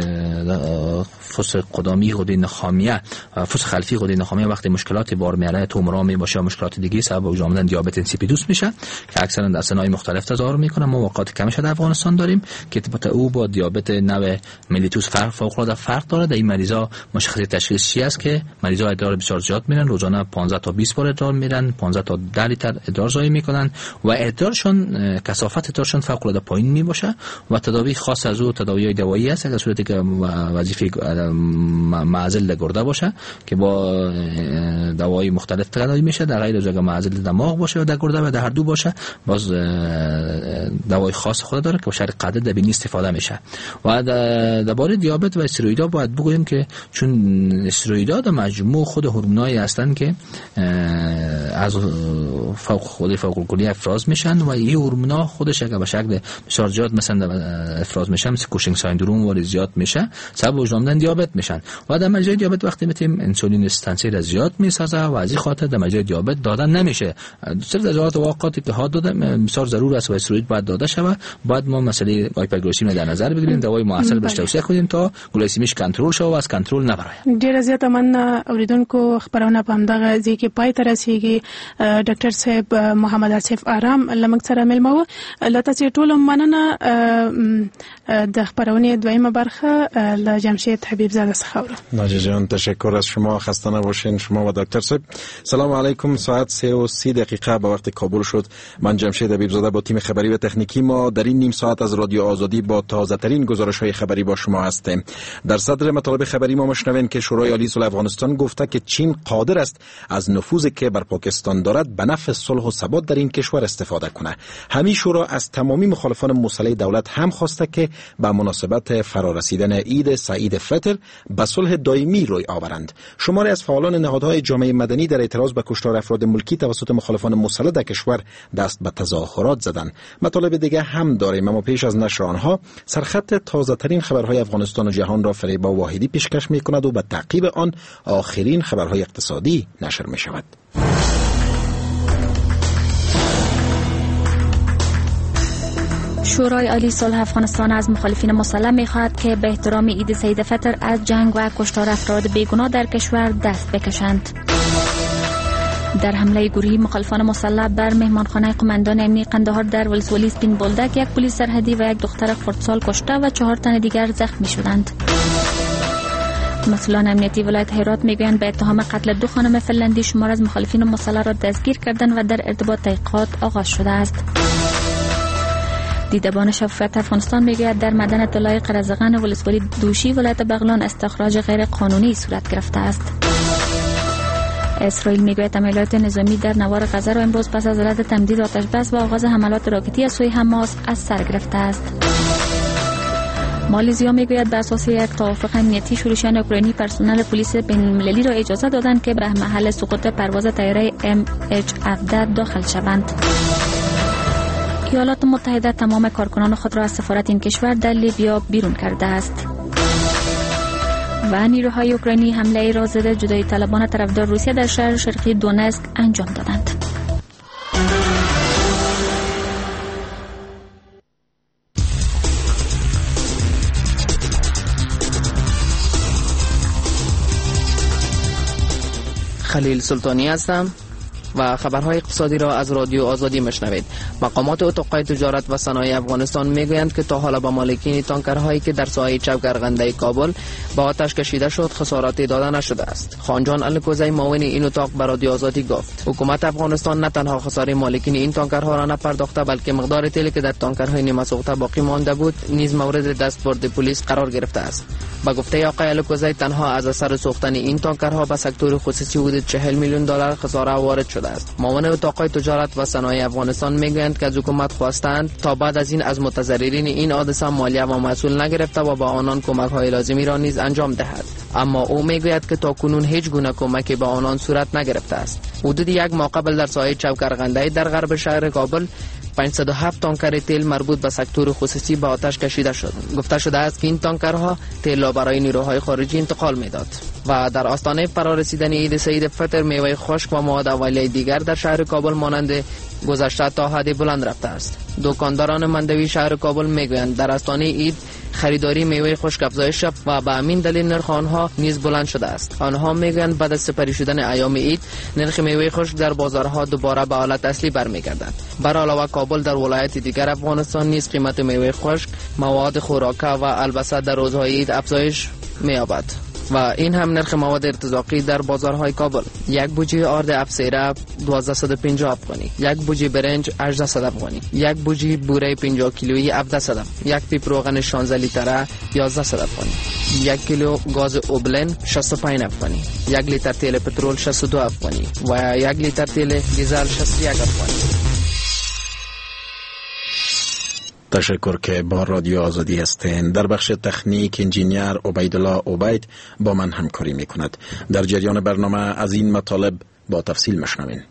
فس قدامی غده نخامیه، فس خلفی غده نخامیه وقتی مشکلات بار میاره، تومورا می باشه، مشکلات دیگه سبب وجود آمدن دیابت insipidus میشه که اکثرا در سن‌های مختلف تظاهر میکنه. ما واقعات کمش در افغانستان داریم که ارتباط او با دیابت نوع mellitus فرق فوق العاده فرق داره. در این مریضا مشخصه تشخیص چی است که مریضا ادرار بسیار زیاد میرن، روزانه پانزده تا بیست بار ادرار میرن، پانزده تا ده لیتر ادرار ضایع میکنن و ادرارشون کثافت ادرارشون فوق العاده پایین میباشه و تداوی خاص از او تداوی دوایی است در صورتی که وظیفه معزل گرده باشه که با دوای مختلف تداوی میشه، در غیر از اگه معزل دماغ باشه و در گرده و در هر دو باشه باز دوای خاص خود داره که با شرط قدر در بینی استفاده میشه. و درباره دیابت و استروئیدها باید بگوییم که چون استروئیدها در مجموع خود هورمونایی هستند که از فوق خود فوق الکلی افراز میشن و این هورمونا خودش اگه به شکل بسیار زیاد مثلا افراز میشن، مثل Cushing syndrome ولی زیاد میشه، سبب وجود آمدن دیابت میشن و در مجرای دیابت وقتی میتیم انسولین resistance را زیاد میسازه و از این خاطر در مجرای دیابت دادن نمیشه. صرف در حالات واقعاتی که ها داده بسیار ضرور است و استروئید باید داده شود. باید ما مسئله hyperglycemia در نظر بگیریم، دوای موثر بهش توصیه کنیم تا گلایسمیش کنترل شود و از کنترل نه برآید. ډیره زیاته مننه اوریدونکو، خبرونه په همدغه ځای کې پای ته رسیږي. ډاکټر صاحب محمد آصف آرام له موږ سره مېلمه و. له تاسو ټولو مننه. د خبرونې دویمه برخه له جمشید حبیب زاده څخه اورو. ناجی جان تشکر از شما، خسته نباشین شما و دکتر صاحب. سلام علیکم، ساعت سه و سی دقیقه به وقت کابل شد. من جمشید حبیب زاده با تیم خبری و تکنیکی ما در این نیم ساعت از رادیو آزادی با تازه ترین گزارش های خبری با شما هستیم. در صدر مطالب خبری ما مشنویم که شورای عالی صلح افغانستان گفته که چین قادر است از نفوذی که بر پاکستان دارد به نفع صلح و ثبات در این کشور استفاده کنه. همین شورا از تمامی مخالفان مسلح دولت هم خواسته که به مناسبت فرارسیدن عید سعید فطر به صلح دائمی روی آورند. شماری از فعالان نهادهای جامعه مدنی در اعتراض به کشتار افراد ملکی توسط مخالفان مسلح در کشور دست به تظاهرات زدند. مطالب دیگه هم داریم، اما پیش از نشر آنها سرخط تازه ترین خبرهای افغانستان و جهان را فریبا واحدی پیشکش می‌کند و به تعقیب آن آخرین خبرهای اقتصادی نشر می‌شود. شورای عالی صلح افغانستان از مخالفین مسلح می‌خواهد که به احترام عید سعید فطر از جنگ و کشتار افراد بیگناه در کشور دست بکشند. در حمله گروهی مخالفان مسلح بر مهمانخانه قماندان امنی قندهار در ولسوالی سپین بولدک یک پلیس سرحدی و یک دختر خردسال کشته و چهار تن دیگر زخمی شدند. مسئولان امنیتی ولایت هرات میگویند به اتهام قتل دو خانم فنلندی شمار از مخالفین مسلح را دستگیر کردند و در ارتباط تحقیقات آغاز شده است. دیدبان شفافیت افغانستان میگوید در معدن طلای قرزغن ولسوالی دوشی ولایت بغلان استخراج غیر قانونی صورت گرفته است. اسرائیل میگوید عملیات نظامی در نوار غزه را امروز پس از رد تمدید آتش بس و آغاز حملات راکتی از سوی حماس از سر گرفته است. مالزیا میگوید بر اساس یک توافق امنیتی شورشیان اوکراینی پرسنل پلیس بین‌المللی را اجازه دادند که به محل سقوط پرواز طیاره ام اچ هفده داخل شوند. ایالات متحده تمام کارکنان خود را از سفارت این کشور در لیبیا بیرون کرده است. و نیروهای اوکراینی حمله را ضد جدایی طلبان طرفدار روسیه در شهر شرقی دونسک انجام دادند. خلیل سلطانی هستم و خبرهای اقتصادی را از رادیو آزادی مشنوید. مقامات اتاق‌های تجارت و صنایع افغانستان میگویند که تا حالا به مالکین تانکرهایی که در ساحه چوک ارغنده کابل با آتش کشیده شد خسارات داده نشده است. خانجان الکوزی معاون این اتاق به رادیو آزادی گفت حکومت افغانستان نه تنها خساره مالکین این تانکرها را نپرداخته بلکه مقدار تیلی که در تانکرهای نیمه سوخته باقی مانده بود نیز مورد دستبرد پلیس قرار گرفته است. با گفته آقای الکوزی تنها از اثر سوختن این تانکرها به سکتور خصوصی حدود چهل میلیون دلار خساره وارد شده است. معاون اتاق‌های تجارت و صنایع افغانستان میگویند که از حکومت خواستند تا بعد از این از متضررین این حادثه مالیه و مسئول نگرفته و با آنان کمک‌های لازمی را نیز انجام دهد. اما او میگوید که تا کنون هیچ گونه کمکی به آنان صورت نگرفته است. حدود یک ماه قبل در ساحه چوک ارغنده در غرب شهر کابل پانصد و هفت تانکر تیل مربوط به سکتور خصوصی به آتش کشیده شد. گفته شده است که این تانکرها تیل را برای نیروهای خارجی انتقال میداد. و در آستانه فرارسیدن عید سعید فطر میوه خشک و مواد اولیه دیگر در شهر کابل مانند گذشته تا حد بلند رفته است. دکانداران مندوی شهر کابل میگویند در آستانه عید خریداری میوه خشک افزایش یافت و به همین دلیل نرخ آنها نیز بلند شده است. آنها میگویند بعد از سپری شدن ایام عید نرخ میوه خشک در بازارها دوباره به حالت اصلی برمیگردد. بر علاوه کابل در ولایت دیگر افغانستان نیز قیمت میوه خشک، مواد خوراکه و البسه در روزهای عید افزایش می‌یابد. و این هم نرخ مواد ارتزاقی در بازارهای کابل: یک بوجی آرد افسیره دوازده پنجاه افغانی، یک بوجی برنج هجده افغانی، یک بوجی بوره پنجاه کیلویی هفده، یک پیپ روغن شانزده لیتره یازده افغانی، یک کیلو گاز اوبلن شصت و پنج افغانی، یک لیتر تیل پترول شصت و دو افغانی و یک لیتر تیل دیزل شصت و یک افغانی. تشکر که با رادیو آزادی هستین. در بخش تکنیک انجینیر عبیدالله عبید با من همکاری می کند. در جریان برنامه از این مطالب با تفصیل مشنوین.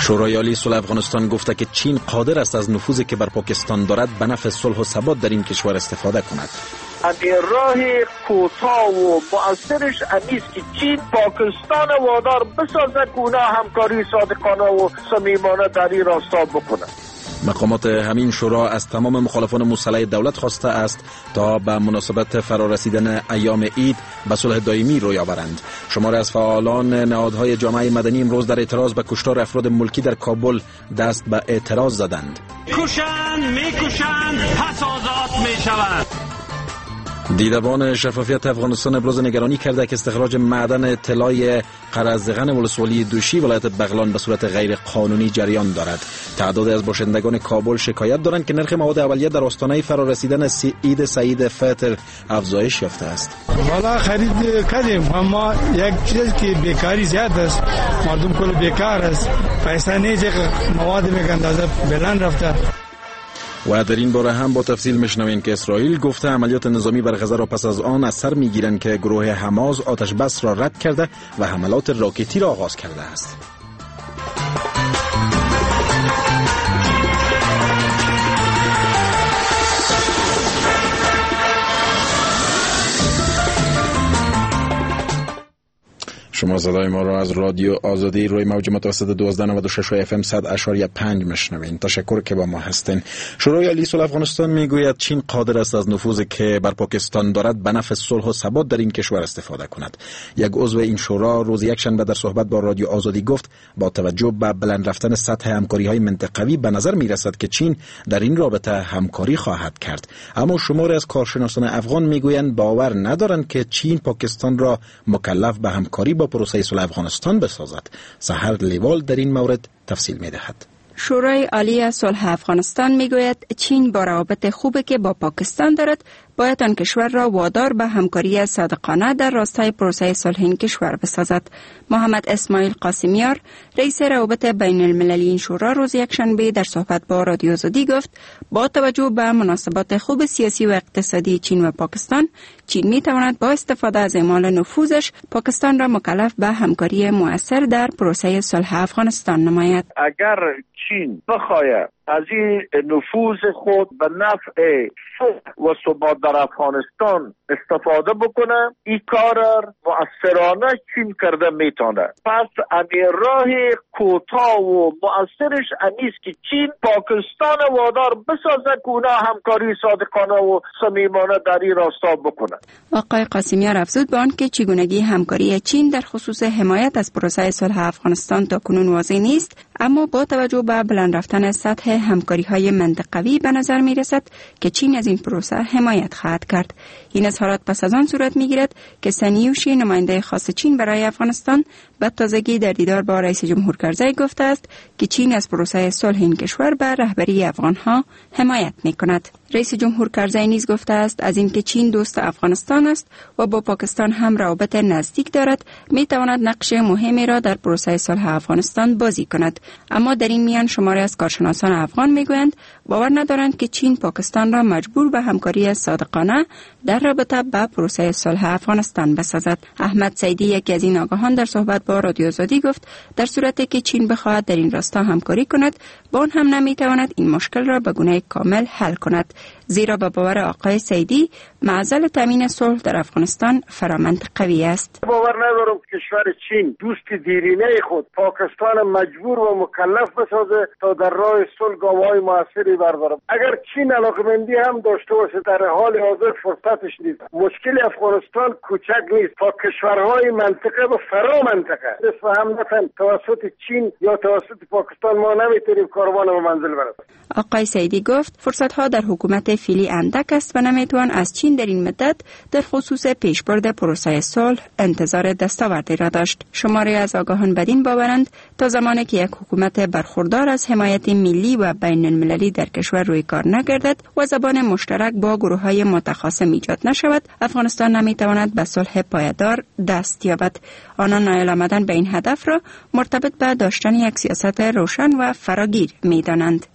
شورای عالی صلح افغانستان گفته که چین قادر است از نفوذی که بر پاکستان دارد به نفع صلح و ثبات در این کشور استفاده کند. امی راه کوتاه و مؤثرش امیست که چین پاکستان وادار بسازه که اونا همکاری صادقانه و صمیمانه در این راستا بکنه. مقامات همین شورا از تمام مخالفان مسلح دولت خواسته است تا به مناسبت فرارسیدن ایام عید به صلح دائمی روی آورند. شماری از فعالان نهادهای جامعه مدنی امروز در اعتراض به کشتار افراد ملکی در کابل دست به اعتراض زدند. کشند میکشند پس آزاد میشوند. دیدبان شفافیت افغانستان ابراز نگرانی کرده که استخراج معدن طلای قرزدغن ولسوالی دوشی ولایت بغلان به صورت غیر قانونی جریان دارد. تعداد از باشندگان کابل شکایت دارند که نرخ مواد اولیه در آستانه فرارسیدن عید سعید فطر افزایش یافته است. والا خرید کردیم، اما یک چیز که بیکاری زیاد است، مردم کل بیکار است، پیسه نیست، مواد میگن اندازه بلند رفته. و در این باره هم با تفصیل میشنویم که اسرائیل گفته عملیات نظامی بر غزه را پس از آن از سر میگیرند که گروه حماس آتش بس را رد کرده و حملات راکتی را آغاز کرده است. شما صدای ما را از رادیو آزادی روی موج متوسط دوازده نود و شش اف ام صد اعشاریه پنج میشنوین. تشکر که با ما هستین. شورای عالی صلح افغانستان میگوید چین قادر است از نفوذی که بر پاکستان دارد به نفع صلح و ثبات در این کشور استفاده کند. یک عضو این شورا روز یکشنبه در صحبت با رادیو آزادی گفت با توجه به بلند رفتن سطح همکاری‌های منطقوی به نظر میرسد که چین در این رابطه همکاری خواهد کرد. اما شماری از کارشناسان افغان میگویند باور ندارند که چین پاکستان را مکلف به همکاری با پروسه صلح افغانستان بسازد. سحر لیوال در این مورد تفصیل می‌دهد. شورای عالی صلح افغانستان میگوید چین با روابط خوبی که با پاکستان دارد باید آن کشور را وادار به همکاری صادقانه در راستای پروسه صلح این کشور بسازد. محمد اسماعیل قاسمیار رئیس روابط بین المللی این شورا روز یکشنبه در صحبت با رادیو آزادی گفت با توجه به مناسبات خوب سیاسی و اقتصادی چین و پاکستان، چین می تواند با استفاده از اعمال نفوذش پاکستان را مکلف به همکاری مؤثر در پروسه صلح افغانستان نماید. اگر چین بخواهد از این نفوذ خود به نفع صلح و ثبات در افغانستان استفاده بکنه، این کار مؤثرانه چین کرده میتونه. پس امی راه کوتاه و مؤثرش امیست که چین پاکستان وادار بسازه که اونا همکاری صادقانه و صمیمانه در این راستا بکنه. آقای قاسمیار افزود به آنکه چگونگی همکاری چین در خصوص حمایت از پروسه صلح افغانستان تا کنون واضح نیست، اما با توجه به بلند رفتن سطح همکاری‌های منطقوی به نظر می‌رسد که چین از این پروسه حمایت خواهد کرد. این اظهارات پس از آن صورت می‌گیرد که سنیوشی نماینده خاص چین برای افغانستان به تازگی در دیدار با رئیس جمهور کرزی گفته است که چین از پروسه صلح این کشور به رهبری افغانها حمایت می‌کند. رئیس جمهور کرزی نیز گفته است از اینکه چین دوست افغانستان است و با پاکستان هم روابط نزدیک دارد، می‌تواند نقش مهمی را در پروسه صلح افغانستان بازی کند. اما در این میان شماری از کارشناسان افغان میگویند باور ندارند که چین پاکستان را مجبور به همکاری صادقانه در رابطه با پروسه صلح افغانستان بسازد. احمد سیدی، یکی از این آگاهان، در صحبت با رادیو آزادی گفت در صورتی که چین بخواهد در این راستا همکاری کند، با آن هم نمیتواند این مشکل را به گونه کامل حل کند، زیرا به باور آقای سیدی معضل تامین صلح در افغانستان فرامنطقوی است. باور ندارم کشور چین دوست دیرینه خود پاکستان مجبور و مکلف بسازه تا در راه صلح گام‌های موثری بردارد. اگر چین علاقمندی هم داشته باشه در حال حاضر فرصتش نیست. مشکل افغانستان کوچک نیست تا کشورهای منطقه و فرا منطقه دست هم نتن توسط چین یا توسط پاکستان ما نمیتونیم کاروان به منزل برسیم. آقای سیدی گفت فرصت‌ها در حکومت فعلی اندک است و نمیتوان از چین در این مدت در خصوص پیشبرد پروسه صلح انتظار دستاوردی را داشت. شماری از آگاهان بدین باورند تا زمانی که یک حکومت برخوردار از حمایت ملی و بین المللی در کشور روی کار نگردد و زبان مشترک با گروه‌های متخاصم ایجاد نشود، افغانستان نمیتواند به صلح پایدار دست یابد. آنان نایل آمدن به این هدف را مرتبط به داشتن یک سیاست روشن و فراگیر می‌دانند.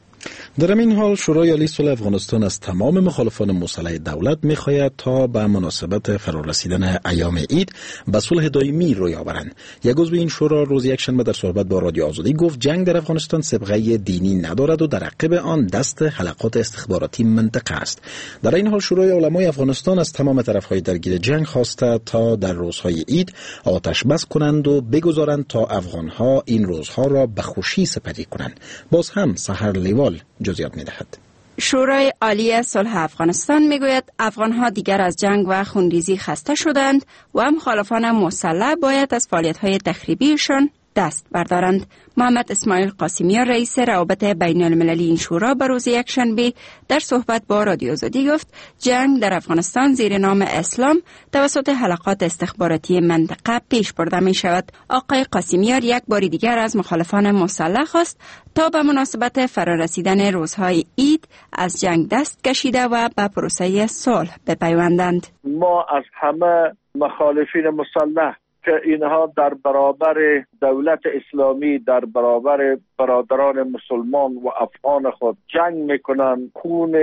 در این حال شورای عالی صلح افغانستان از تمام مخالفان مسلح دولت می‌خواهد تا به مناسبت فرارسیدن ایام عید به صلح دائمی روی آورند. یک عضو این شورا روز یکشنبه در صحبت با رادیو آزادی گفت جنگ در افغانستان صبغه دینی ندارد و در عقب آن دست حلقات استخباراتی منطقه است. در این حال شورای علمای افغانستان از تمام طرف‌های درگیر جنگ خواسته تا در روزهای عید آتش بس کنند و بگذارند تا افغان‌ها این روزها را به خوشی سپری کنند. باز هم سحر لیوال جزئیات می‌دهد. شورای عالی صلح افغانستان میگوید افغانها دیگر از جنگ و خونریزی خسته شدند و مخالفان مسلح باید از فعالیت‌های تخریبیشان دست بردارند. محمد اسماعیل قاسمیان، رئیس روابط بین المللی این شورا، به روز یکشنبه در صحبت با رادیو آزادی گفت جنگ در افغانستان زیر نام اسلام توسط حلقات استخباراتی منطقه پیش برده می شود. آقای قاسمیان یک بار دیگر از مخالفان مسلح خواست تا به مناسبت فرارسیدن روزهای عید از جنگ دست کشیده و به پروسه صلح بپیوندند. ما از همه مخالفین مسلح که اینها در برابر دولت اسلامی، در برابر برادران مسلمان و افغان خود جنگ میکنن، خون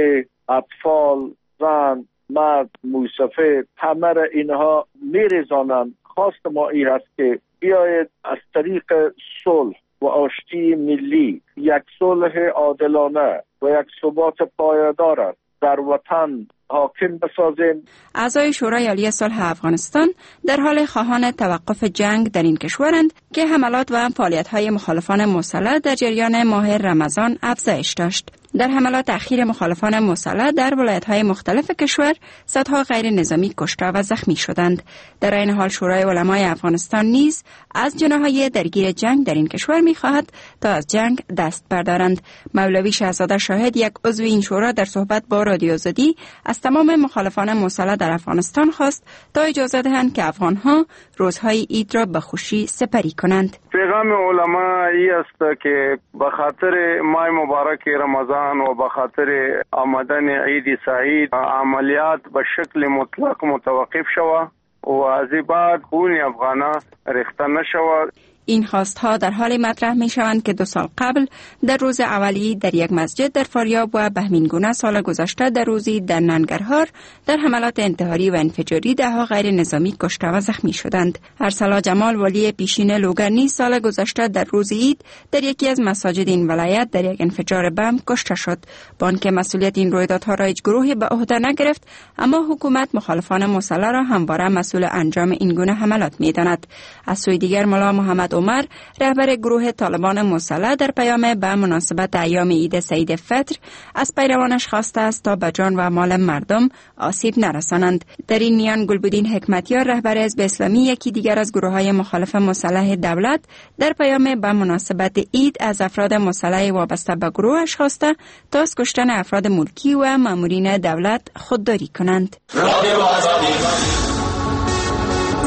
اطفال، زن، مرد، موسفید، همه را اینها میریزانند. خواست ما این است که بیاید از طریق صلح و آشتی ملی یک صلح عادلانه و یک ثبات پایدار در وطن حاکم بسازیم. اعضای شورای عالی صلح افغانستان در حال خواهان توقف جنگ در این کشورند که حملات و فعالیت‌های مخالفان مسلح در جریان ماه رمضان افزایش داشت. در حملات اخیر مخالفان مسلح در ولایت‌های مختلف کشور صدها غیر نظامی کشته و زخمی شدند. در این حال شورای علمای افغانستان نیز از جناح‌های درگیر جنگ در این کشور می‌خواهد تا از جنگ دست بردارند. مولوی شهزاده شاهد، یک عضو این شورا، در صحبت با رادیو آزادی از تمام مخالفان مسلح در افغانستان خواست تا اجازه دهند که افغان‌ها روزهای عید را به خوشی سپری کنند. پیغام علما ای است که به خاطر ماه مبارک رمضان و به خاطر آمدن عید سعید عملیات به شکل مطلق متوقف شود و از بعد خون افغانا ریخته نشود. این خواستها در حال مطرح می شوند که دو سال قبل در روز اولی در یک مسجد در فاریاب و بهمینگونه سال گذشته در روزی در ننگرهار در حملات انتحاری و انفجاری دهها غیر نظامی کشته و زخمی شدند. ارسلا جمال، والی پیشین لوگر، نیز سال گذشته در روز عید در یکی از مساجد این ولایت در یک انفجار بم کشته شد. با آنکه مسئولیت این رویدادها را هیچ گروهی به عهده نگرفت، اما حکومت مخالفان مسلح را همواره مسئول انجام این گونه حملات می‌داند. از سوی دیگر ملا محمد عمر، رهبر گروه طالبان مسلح، در پیام به مناسبت ایام عید سعید فطر از پیروانش خواسته است تا به جان و مال مردم آسیب نرسانند. در این میان گلبدین حکمتیار، رهبر حزب اسلامی، یکی دیگر از گروه‌های مخالف مسلح دولت، در پیام به مناسبت عید از افراد مسلح وابسته به گروهش خواسته تا از کشتن افراد ملکی و مامورین دولت خودداری کنند.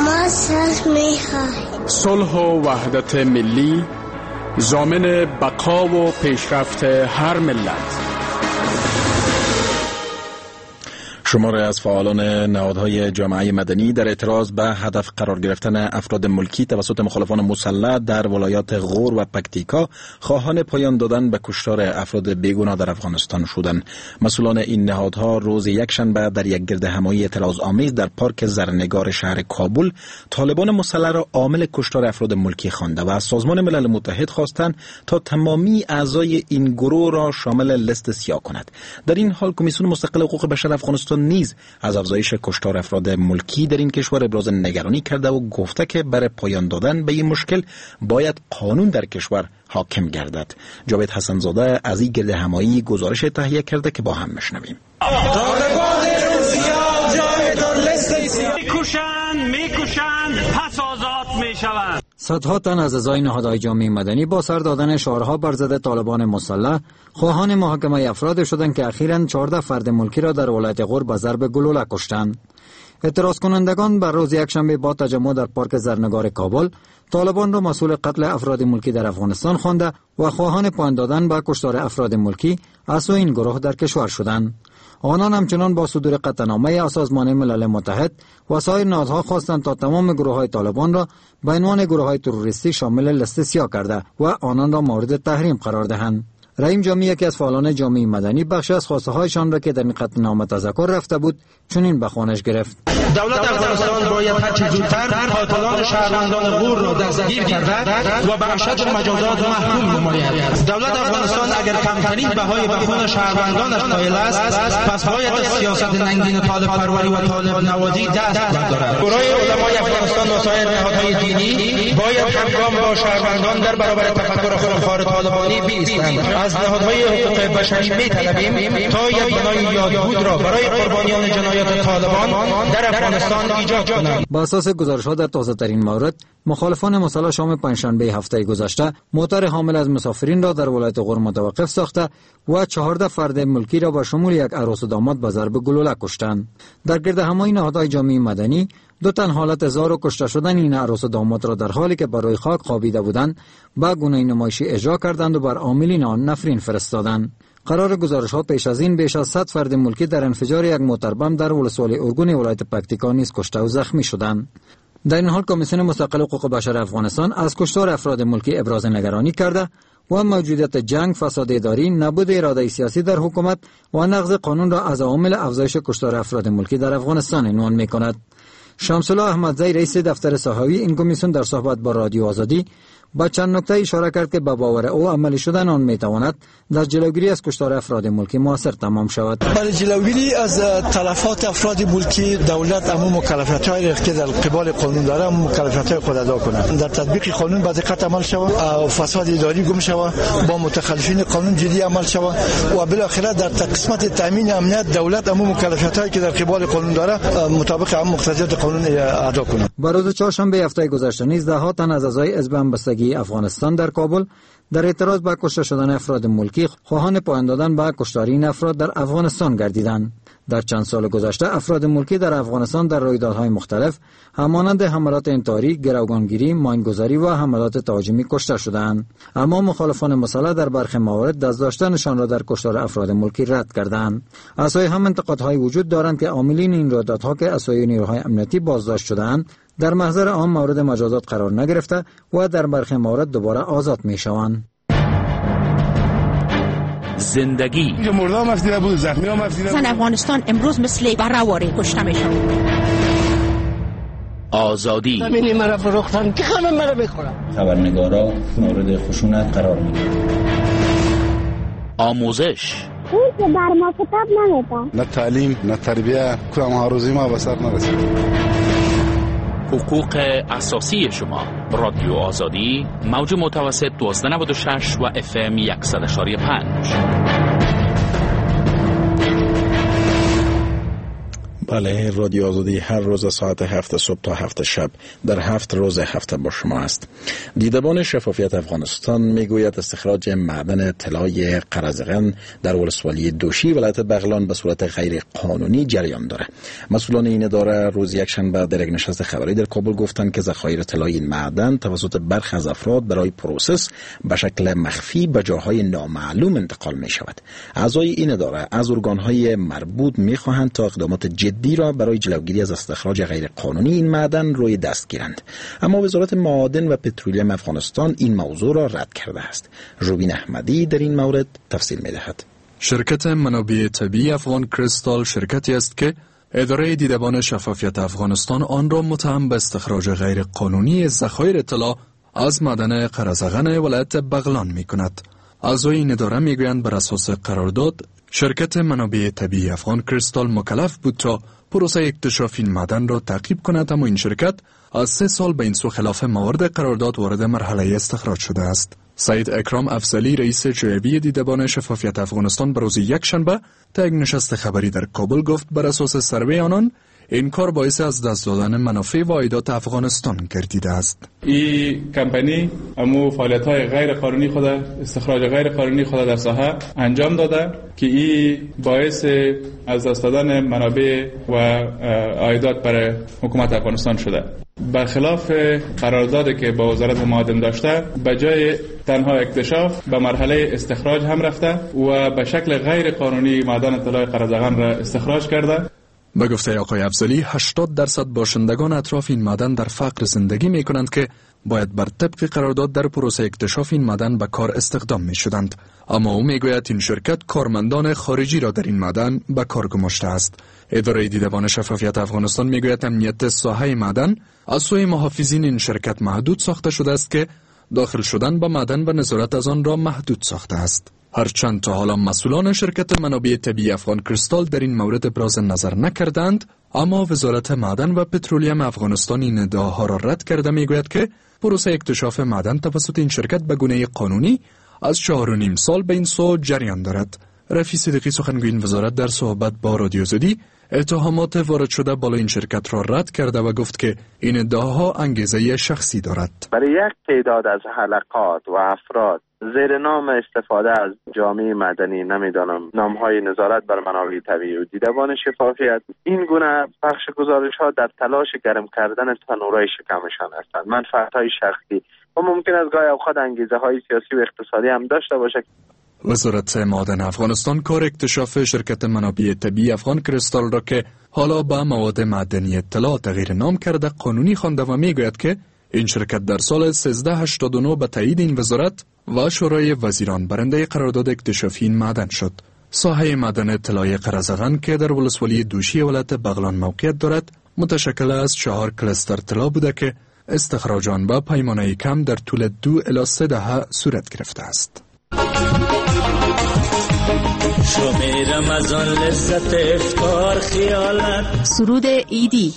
ما صلح می‌خواهیم. صلح و وحدت ملی ضامن بقا و پیشرفت هر ملت. شماری از فعالان نهادهای جامعه مدنی در اعتراض به هدف قرار گرفتن افراد ملکی توسط مخالفان مسلح در ولایات غور و پکتیکا خواهان پایان دادن به کشتار افراد بیگناه در افغانستان شدند. مسئولان این نهادها روز یکشنبه در یک گرد همایی اعتراض آمیز در پارک زرنگار شهر کابل طالبان مسلح را عامل کشتار افراد ملکی خوانده و از سازمان ملل متحد خواستند تا تمامی اعضای این گروه را شامل لیست سیاه کند. در این حال کمیسیون مستقل حقوق بشر افغانستان نیز از افزایش کشتار افراد ملکی در این کشور ابراز نگرانی کرده و گفته که برای پایان دادن به این مشکل باید قانون در کشور حاکم گردد. جاوید حسن‌زاده از این گرد همایی گزارش تهیه کرده که با هم میشنویم. میکشند میکشند پس آزاد میشوند. صدها تن از اعضای نهادهای جامعه مدنی با سر دادن شعارها بر ضد طالبان مسلح خواهان محاکمه افراد شدند که اخیراً چهارده فرد ملکی را در ولایت غور به ضرب گلوله کشتند. اعتراض کنندگان بر روز یکشنبه با تجمع در پارک زرنگار کابل طالبان را مسئول قتل افراد ملکی در افغانستان خوانده و خواهان پایان دادن به کشتار افراد ملکی از سوی این گروه در کشور شدند. آنان همچنان با صدور قطعنامه از سازمان ملل متحد و سایر نهادها خواستند تا تمام گروه‌های طالبان را به عنوان گروه‌های تروریستی شامل لیست سیاه کرده و آنان را مورد تحریم قرار دهند. رحیم جامی یکی از فعالان جامعه مدنی بخشی از خواسته‌هایشان را که در این قطعنامه تذکر رفته بود چنین به خوانش گرفت: دولت افغانستان باید هرچه زودتر قاتلان شهروندان غور را دستگیر کرده و به اشد مجازات محکوم نماید. دولت افغانستان اگر کمترین بهای به خون شهروندانش قائل است، پس باید از سیاست ننگین طالب پروری و طالب نوازی دست بردارد. شورای علمای افغانستان و سایر نهادهای دینی باید همگام با شهروندان در برابر تفکر خونخوار طالبانی بایستند. از نهادهای حقوق بشری می‌طلبیم تا یک بنای یادبود را برای قربانیان جنایات طالبان در افغانستان ایجاد کنند. با اساس گزارش‌ها در تازه‌ترین مورد، مخالفان مسلح شام پنجشنبه هفته گذشته موتر حامل از مسافرین را در ولایت غور متوقف ساخته و چهارده فرد ملکی را به شمول یک عروس و داماد به ضرب گلوله کشتند. در گرد همایی نهادهای جامعه مدنی دو تن حالت زار و کشته شدن این عروس و داماد را در حالی که بر روی خاک خوابیده بودند به گونه نمایشی اجرا کردند و بر عاملین آن نفرین فرستادند. قرار گزارش ها پیش از این بیش از صد فرد ملکی در انفجار یک موتربم در ولسوالی ارگون ولایت پکتیکا نیز کشته و زخمی شدند. در این حال کمیسیون مستقل حقوق بشر افغانستان از کشتار افراد ملکی ابراز نگرانی کرده و موجودیت جنگ، فساد اداری، نبود اراده سیاسی در حکومت و نقض قانون را از عوامل افزایش کشتار افراد ملکی در افغانستان عنوان می‌کند. شمس‌الله احمدزی رئیس دفتر ساحوی این کمیسیون در صحبت با رادیو آزادی با چند نکته اشاره کرد که به باور او عملی شدن آن میتواند در جلوگیری از کشتار افراد ملکی موثر تمام شود. برای جلوگیری از تلفات افراد ملکی دولت عموم مکلفیت‌هایی که در قبال قانون داره مکلفیت‌های خود ادا کند. در تطبیق قانون با دقت عمل شود، فساد اداری گم شود، با متخلفین قانون جدی عمل شود و بالاخره در قسمت تامین امنیت دولت عموم مکلفیت‌هایی که در قبال قانون داره مطابق عموم مقتضیات قانون ادا کند. بر روز چهارشنبه هفته گذشته نیز ده تن از اعضای حزب همبستگی افغانستان در کابل در اعتراض به کشته شدن افراد ملکی خواهان پایان دادن به کشتار این افراد در افغانستان گردیدند. در چند سال گذشته افراد ملکی در افغانستان در رویدادهای مختلف همانند حملات انتحاری، گروگانگیری، ماینگذاری و حملات تهاجمی کشته شدند. اما مخالفان مسلح در برخی موارد دست داشتنشان را در کشتار افراد ملکی رد کردند. از سوی هم انتقادهای وجود دارند که عاملین این رویدادها که از سوی نیروهای امنیتی بازداشت شدند در محضر عام مورد مجازات قرار نگرفته و در برخی موارد دوباره آزاد می شوند. زندگی اینجا مردم افتیده بود، زخمی هم افتیده بود. زن افغانستان امروز مثل براواری کشته می شود. آزادی زمینی مرا فروختن که خانم مرا بخورم. خبرنگارا مورد خشونت قرار می گیرند. آموزش او که بر ما کتاب نمیدن، نه تعلیم نه تربیه، کدام آرزوی ما به سر نرسید. حقوق اساسی شما. رادیو آزادی موج متوسط دوازده نود و شش و اف ام صد و یک پنج. بله، رادیو آزادی هر روز ساعت هفت صبح تا هفت شب در هفت روز هفته با شما است. دیدبان شفافیت افغانستان میگوید استخراج معدن طلای قرزغن در ولسوالی دوشی ولایت بغلان به صورت غیر قانونی جریان داره. مسئولان این اداره روز یکشنبه در یک نشست خبری در کابل گفتند که ذخایر طلای این معدن توسط برخی از افراد برای process به شکل مخفی به جاهای نامعلوم انتقال می شود. اعضای این اداره از ارگان‌های مربوط می‌خواهند تا اقدامات جدی را برای جلوگیری از استخراج غیر قانونی این معدن روی دست گیرند. اما وزارت معادن و پترولیم افغانستان این موضوع را رد کرده است. روبین احمدی در این مورد تفصیل می‌دهد. شرکت منابع طبیعی افغان کریستال شرکتی است که اداره دیدبان شفافیت افغانستان آن را متهم به استخراج غیر قانونی ذخایر طلا از معدن قرزغن ولایت بغلان می‌کند. اعضای این اداره می‌گویند بر اساس قرارداد شرکت منابع طبیعی افغان کریستال مکلف بود تا پروسه اکتشاف این معدن را تعقیب کند، اما این شرکت از سه سال به این سو خلاف موارد قرارداد وارد مرحله استخراج شده است. سید اکرام افضلی رئیس جویی دیدبان شفافیت افغانستان به روز یکشنبه تا یک نشست خبری در کابل گفت بر اساس سروی آنان این کار باعث از دست دادن منافع و عایدات افغانستان گردیده است. این کمپانی امو فعالیت‌های غیر قانونی خود، استخراج غیر قانونی خود در ساحه انجام داده که این باعث از دست دادن منابع و عایدات برای حکومت افغانستان شده. برخلاف قراردادی که با وزارت معادن داشته، به جای تنها اکتشاف به مرحله استخراج هم رفته و به شکل غیر قانونی معدن طلای قرزغن را استخراج کرده. به گفته آقای افضلی هشتاد درصد باشندگان اطراف این معدن در فقر زندگی می کنند که باید بر طبق قرارداد در پروسه اکتشاف این معدن به کار استخدام می شدند. اما او می گوید این شرکت کارمندان خارجی را در این معدن به کار گماشته است. اداره دیدبان شفافیت افغانستان می گوید امنیت ساحه معدن از سوی محافظین این شرکت محدود ساخته شده است که داخل شدن به معدن و نظارت از آن را محدود ساخته است. هرچند تا حالا مسئولان شرکت منابع طبیعی افغان کریستال در این مورد ابراز نظر نکردند، اما وزارت معدن و پترولیم افغانستان این ادعاها را رد کرده میگوید که پروسه اکتشاف معدن توسط این شرکت به گونه قانونی از چهار و نیم سال به این سو جریان دارد. رفیع صدیقی سخنگوی این وزارت در صحبت با رادیو آزادی اتهامات وارد شده بالا این شرکت را رد کرده و گفت که این ادعاها انگیزه شخصی دارد. برای یک تعداد از حلقات و افراد زیر نام استفاده از جامعه مدنی، نمیدانم نامهای نظارت بر منابع طبیعی و دیدبان شفافیت، این گونه پخش گزارش ها در تلاش گرم کردن تنورای شکمشان هستند. منفعت های شخصی و ممکن است گاهی اوقات انگیزه های سیاسی و اقتصادی هم داشته باشد. وزارت معادن افغانستان کار اکتشاف شرکت منابع طبیعی افغان کریستال را که حالا به مواد معدنی طلا تغییر نام کرده قانونی خوانده و میگوید که این شرکت در سال سیزده هشتاد و نه به تایید این وزارت و شورای وزیران برنده قرارداد اکتشافی این معدن شد. ساحه معدن طلای قرزغن که در ولسوالی دوشی ولایت بغلان موقعیت دارد، متشکل از چهار کلستر طلا بوده که استخراج آن با پیمانه کم در طول دو الی سه دهه صورت گرفته است. سرود عیدی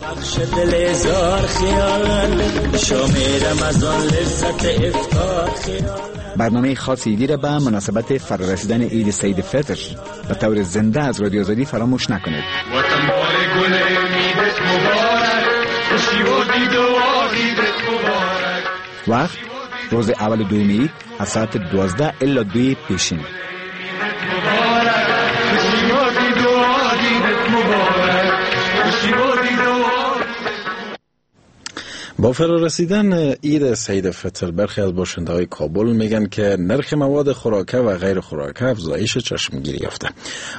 بخش دل زار خیالت شام رمضان لذت افطار خیالت. برنامه خاص عیدی را به مناسبت فرارسیدن عید سعید فطر به طور زنده از رادیو آزادی فراموش نکنید. وطن بار گل عیدت مبارک، خوشی و دید و عیدت مبارک. وقت روز اول دوم عید از ساعت دوازده الی دو پیشین. با فرارسیدن عید سعید فطر برخی از باشنده های کابل میگن که نرخ مواد خوراکه و غیر خوراکه افزایش چشمگیری یافته.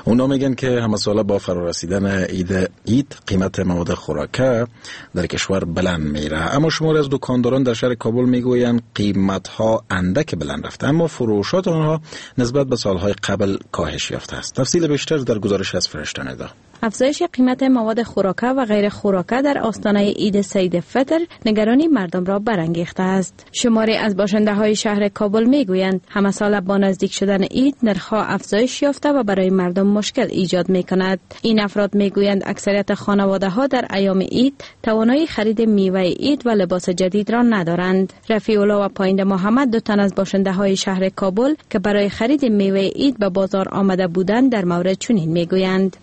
اونا میگن که همه ساله با فرارسیدن عید عید قیمت مواد خوراکه در کشور بلند میره، اما شماری از دکانداران در شهر کابل میگویند قیمت ها اندک بلند رفته، اما فروشات آنها نسبت به سالهای قبل کاهش یافته است. تفصیل بیشتر در گزارش از فرشته ندا. افزایش قیمت مواد خوراکه و غیر خوراکه در آستانه عید سعید فطر نگرانی مردم را برانگیخته است. شماری از باشنده های شهر کابل میگویند همه سال با نزدیک شدن عید نرخ‌ها افزایش یافته و برای مردم مشکل ایجاد میکند. این افراد میگویند اکثریت خانواده ها در ایام عید توانایی خرید میوه عید و لباس جدید را ندارند. رفیع الله و پایند محمد دو تن از باشنده های شهر کابل که برای خرید میوه عید به بازار آمده بودند در مورد چنین میگویند: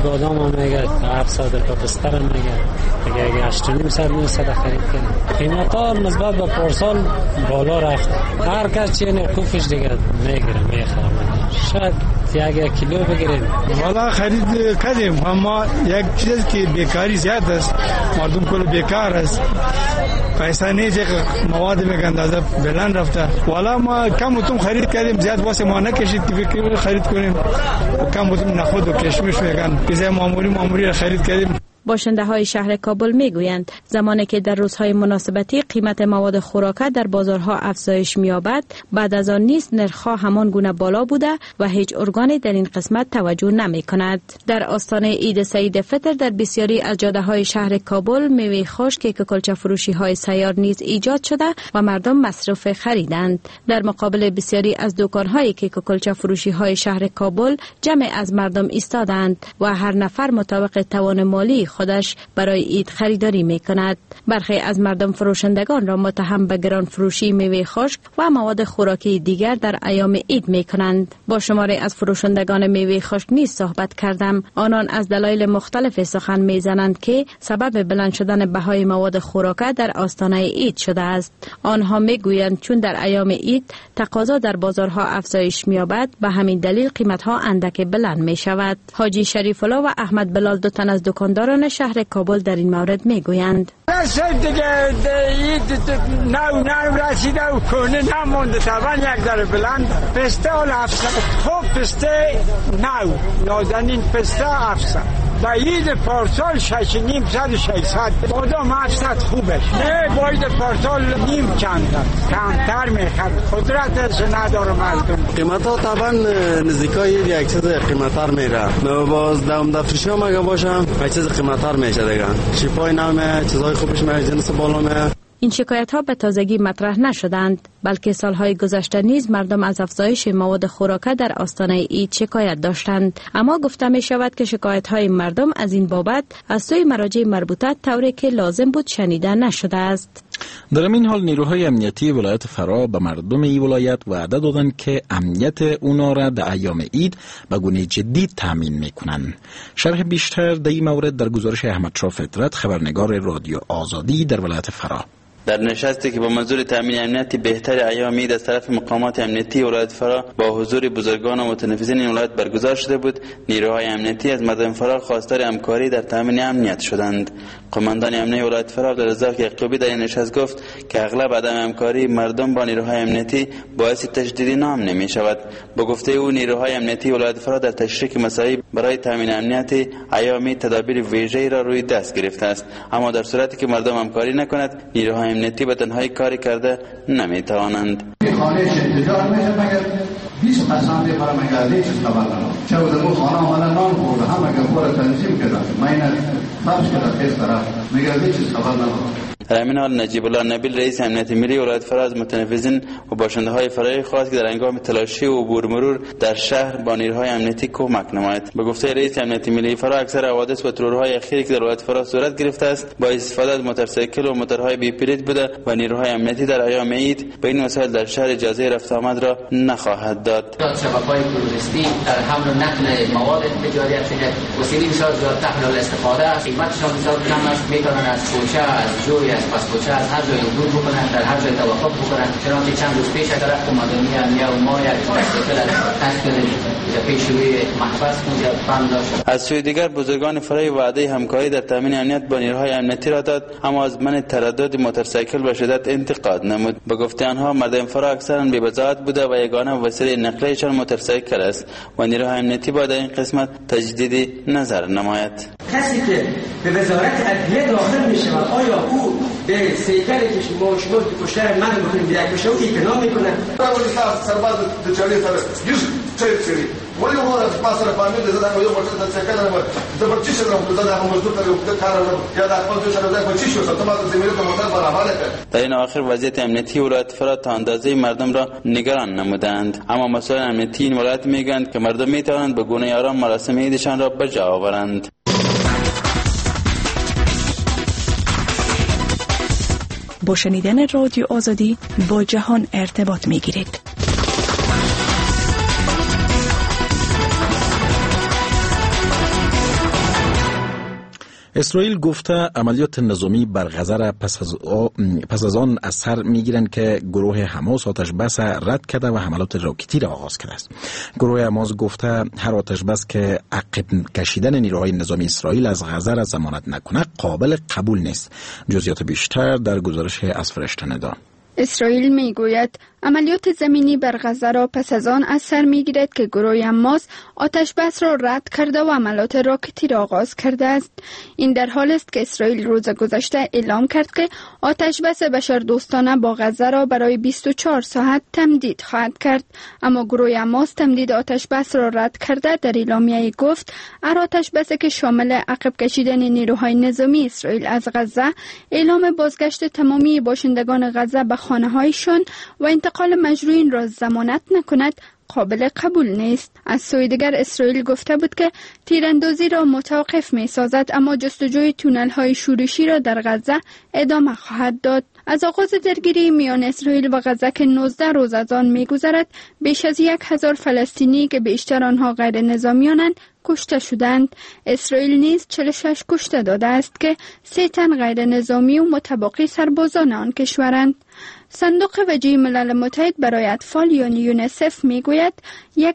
بادام هم میگه هفتصد روپیه، پسته هم میگه دیگه اگه هشت و نیم صد نهصد خرید کردیم. قیمت ها نسبت به پارسال بالا رفت. هر کس چه کوفش دیگه میگیره میخره. شاید یک یک کیلو بگیریم. والا خرید کردیم، اما یک چیز که بیکاری زیاد است، مردم کل بیکار است، پیسه نیست، مواد میگن اندازه بلند رفته. والا ما کم و تم خرید کردیم، زیاد واسه ما نکشید که خرید کنیم. کم و تم نخود و کشمش میگن چیزای معمولی معمولی خرید کردیم. باشنده های شهر کابل می گویند زمانی که در روزهای مناسبتی قیمت مواد خوراکه در بازارها افزایش می یابد، بعد از آن نیز نرخ‌ها همان گونه بالا بوده و هیچ ارگانی در این قسمت توجه نمی کند. در آستانه عید سعید فطر در بسیاری از جاده های شهر کابل میوه خشک که کلچه فروشی های سیار نیز ایجاد شده و مردم مصرف خریدند. در مقابل بسیاری از دکان های کیک کلچه فروشی های شهر کابل جمع از مردم ایستادند و هر نفر مطابق توان مالی خودش برای عید خریداری می کند. برخی از مردم فروشندگان را متهم به گران فروشی میوه خشک و مواد خوراکی دیگر در ایام عید می کنند. با شماری از فروشندگان میوه خشک نیز صحبت کردم. آنان از دلایل مختلف سخن می زنند که سبب بلند شدن بهای مواد خوراکه در آستانه عید شده است. آنها می گویند چون در ایام عید تقاضا در بازارها افزایش می یابد، به همین دلیل قیمت ها اندک بلند می شود. حاجی شریف الله و احمد بلال دو تن از دکانداران شهر کابل در این مورد میگویند: رسید دیگه نو نو رسیده و کنه نمونده، طبعا یک داره بلند پسته حال هفتصد، خوب پسته نو نازنین پسته هفتصد، با عید پارسال شش نیم صد و ششصد، بادام هفتصد خوبش، نه با عید پارسال نیم چند کمتر میخواد، قدرتش نداره مردم. قیمت ها طبعا نزدیکای یک چیز قیمت‌تر میره، باز دم دفترشی هم اگه باشم یک چیز قیمت‌تر میشه دیگه، چیپای نامه چیزای خوبش میشه، جنس بالا میه. این شکایت ها به تازگی مطرح نشدند، بلکه سالهای گذشته نیز مردم از افزایش مواد خوراکه در آستانه عید شکایت داشتند. اما گفته می شود که شکایت های مردم از این بابت از سوی مراجع مربوطه طوری که لازم بود شنیده نشده است. در این حال نیروهای امنیتی ولایت فراه به مردم این ولایت وعده دادند که امنیت اونا را در ایام عید به گونه جدی تامین میکنند. شرح بیشتر در این مورد در گزارش احمد شاه فطرت، خبرنگار رادیو آزادی در ولایت فراه. در نشستی که با منظور تامین امنیت بهتر ایام عید از طرف مقامات امنیتی ولایت فراه با حضور بزرگان و متنفذین این ولایت برگزار شده بود، نیروهای امنیتی از مردم فراه خواستار همکاری در تامین امنیت شدند. قماندان امنیتی ولایت فراه عبدالرزاق یعقوبی در این نشست گفت که اغلب عدم همکاری مردم با نیروهای امنیتی باعث تشدید ناامنی می شود. با گفته او نیروهای امنیتی ولایت فراه در تشریک مساعی برای تامین امنیت ایام تدابیر ویژه‌ای را روی دست گرفته است، اما در صورتی که مردم همکاری نکند نیروهای امنیتی به تنهایی کاری کرده نمی توانند. خانه انتظار میشه مگر بیست قسم میخورم اگر از چیز خبر ندارم. چه بودم خانه آمدن نان خورده هم اگر خور تنظیم کردم من اینه فرش کردم تیز طرف مگر از چیز خبر ندارم. در همین حال نجیب الله نبیل رئیس امنیت ملی ولایت فراه از متنفذین و باشنده های فراه خواست که در هنگام تلاشی و عبور مرور در شهر با نیروهای امنیتی کمک نماید. به گفته رئیس امنیت ملی فراه اکثر حوادث و ترورهای اخیری که در ولایت فراه صورت گرفته است با استفاده از موتورسیکل و موتورهای بی پلیت بوده و نیروهای امنیتی در ایام عید به این وسایل در شهر اجازه رفت آمد را نخواهد داد. شبکه‌های تروریستی در حمل و نقل مواد تجاری است که وسیله بسیار زیاد تحلیل استفاده است، قیمتشان بسیار کم است، میتونن از کوچه از جوی از پس کوچه از هر جای عبور بکنن، در هر جای توقف بکنن. چنانچه چند روز پیش طرف قماندانی امنیه و ما یک موتورسیکل از کردیم پیش روی محبس بند داشت. از سوی دیگر بزرگان فرای وعده همکاری در تامین امنیت با نیروهای امنیتی را داد، اما از من تردد موتورسیکل به شدت انتقاد نمود. به گفته آنها مردم فرا اکثرا بی‌بضاعت بوده و یگانه وسیله نقلیه‌شان موتورسیکل است و نیروهای امنیتی باید در این قسمت تجدید نظر نماید. کسی که به وزارت عدلیه داخل می شود آیا او به سیکلی که شما شما کشتر من بکنیم یک بشه او اعتنا میکنه؟ در این آخر وضعیت امنیتی ولایت فراه تا اندازه مردم را نگران نمودند، اما مسئولان امنیتی این ولایت میگویند که مردم میتوانند به گونه آرام مراسم عیدشان را به جا آورند. با شنیدن رادیو آزادی با جهان ارتباط میگیرید. اسرائیل گفته عملیات نظامی بر غزه را پس از, پس از آن اثر میگیرند که گروه حماس آتش بس رد کرده و حملات راکتی را آغاز کرده است. گروه حماس گفته هر آتش بس که عقب کشیدن نیروهای نظامی اسرائیل از غزه را ضمانت نکنه قابل قبول نیست. جزئیات بیشتر در گزارش از فرشته ندا. اسرائیل میگوید عملیات زمینی بر غزه را پس از آن اثر میگیرد که گروه حماس آتش بس را رد کرده و عملیات راکتی را آغاز کرده است. این در حال است که اسرائیل روز گذشته اعلام کرد که آتش بس بشردوستانه با غزه را برای بیست و چهار ساعت تمدید خواهد کرد، اما گروه حماس تمدید آتش بس را رد کرده در اعلامیه گفت هر آتش بس که شامل عقب کشیدن نیروهای نظامی اسرائیل از غزه، اعلام بازگشت تمامی باشندگان غزه به خانه‌هایشان و انتقال مجروحین را ضمانت نکند قابل قبول نیست. از سوی دیگر اسرائیل گفته بود که تیراندازی را متوقف می سازد، اما جستجوی تونل های شورشی را در غزه ادامه خواهد داد. از آغاز درگیری میان اسرائیل و غزه که نوزده روز از آن می گذرد، بیش از یک هزار فلسطینی که بیشتر آنها غیر نظامیانند کشته شدند. اسرائیل نیز چهل و شش کشته داده است که سه تن غیر نظامی و متباقی سربازان آن کشورند. صندوق وجهی ملل متحد برای اطفال یعنی یونیسف میگوید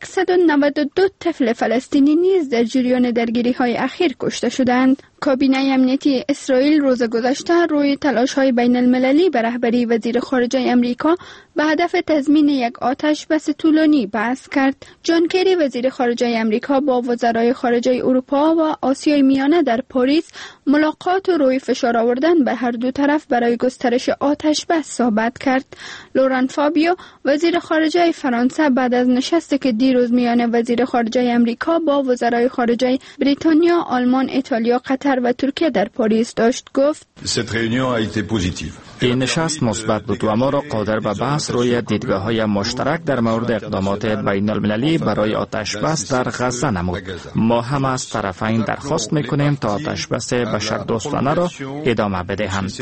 صد و نود و دو طفل فلسطینی نیز در جریان درگیری های اخیر کشته شدند. کابینه امنیتی اسرائیل روز گذشته روی تلاش های بین المللی به رهبری وزیر خارجه امریکا به هدف تضمین یک آتش بس طولانی بحث کرد. جان کری وزیر خارجه امریکا با وزرای خارجه اروپا و آسیای میانه در پاریس ملاقات و روی فشار آوردن به هر دو طرف برای گسترش آتش بس صحبت کرد. لوران فابیو وزیر خارجه فرانسه بعد از نشستی که دیروز میان وزیر خارجه امریکا با وزرای خارجه بریتانیا، آلمان، ایتالیا، قطر و ترکیه در پاریس داشت گفت: این نشست مثبت بود و ما را قادر به بحث روی دیدگاه‌های مشترک در مورد اقدامات بین المللی برای آتش بس در غزه نمود. ما هم از طرفین درخواست می‌کنیم تا آتش بس بشردوستانه را ادامه بدهند.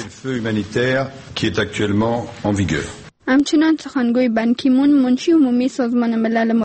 همچنان سخنگوی بان کی مون منشی عمومی سازمان ملل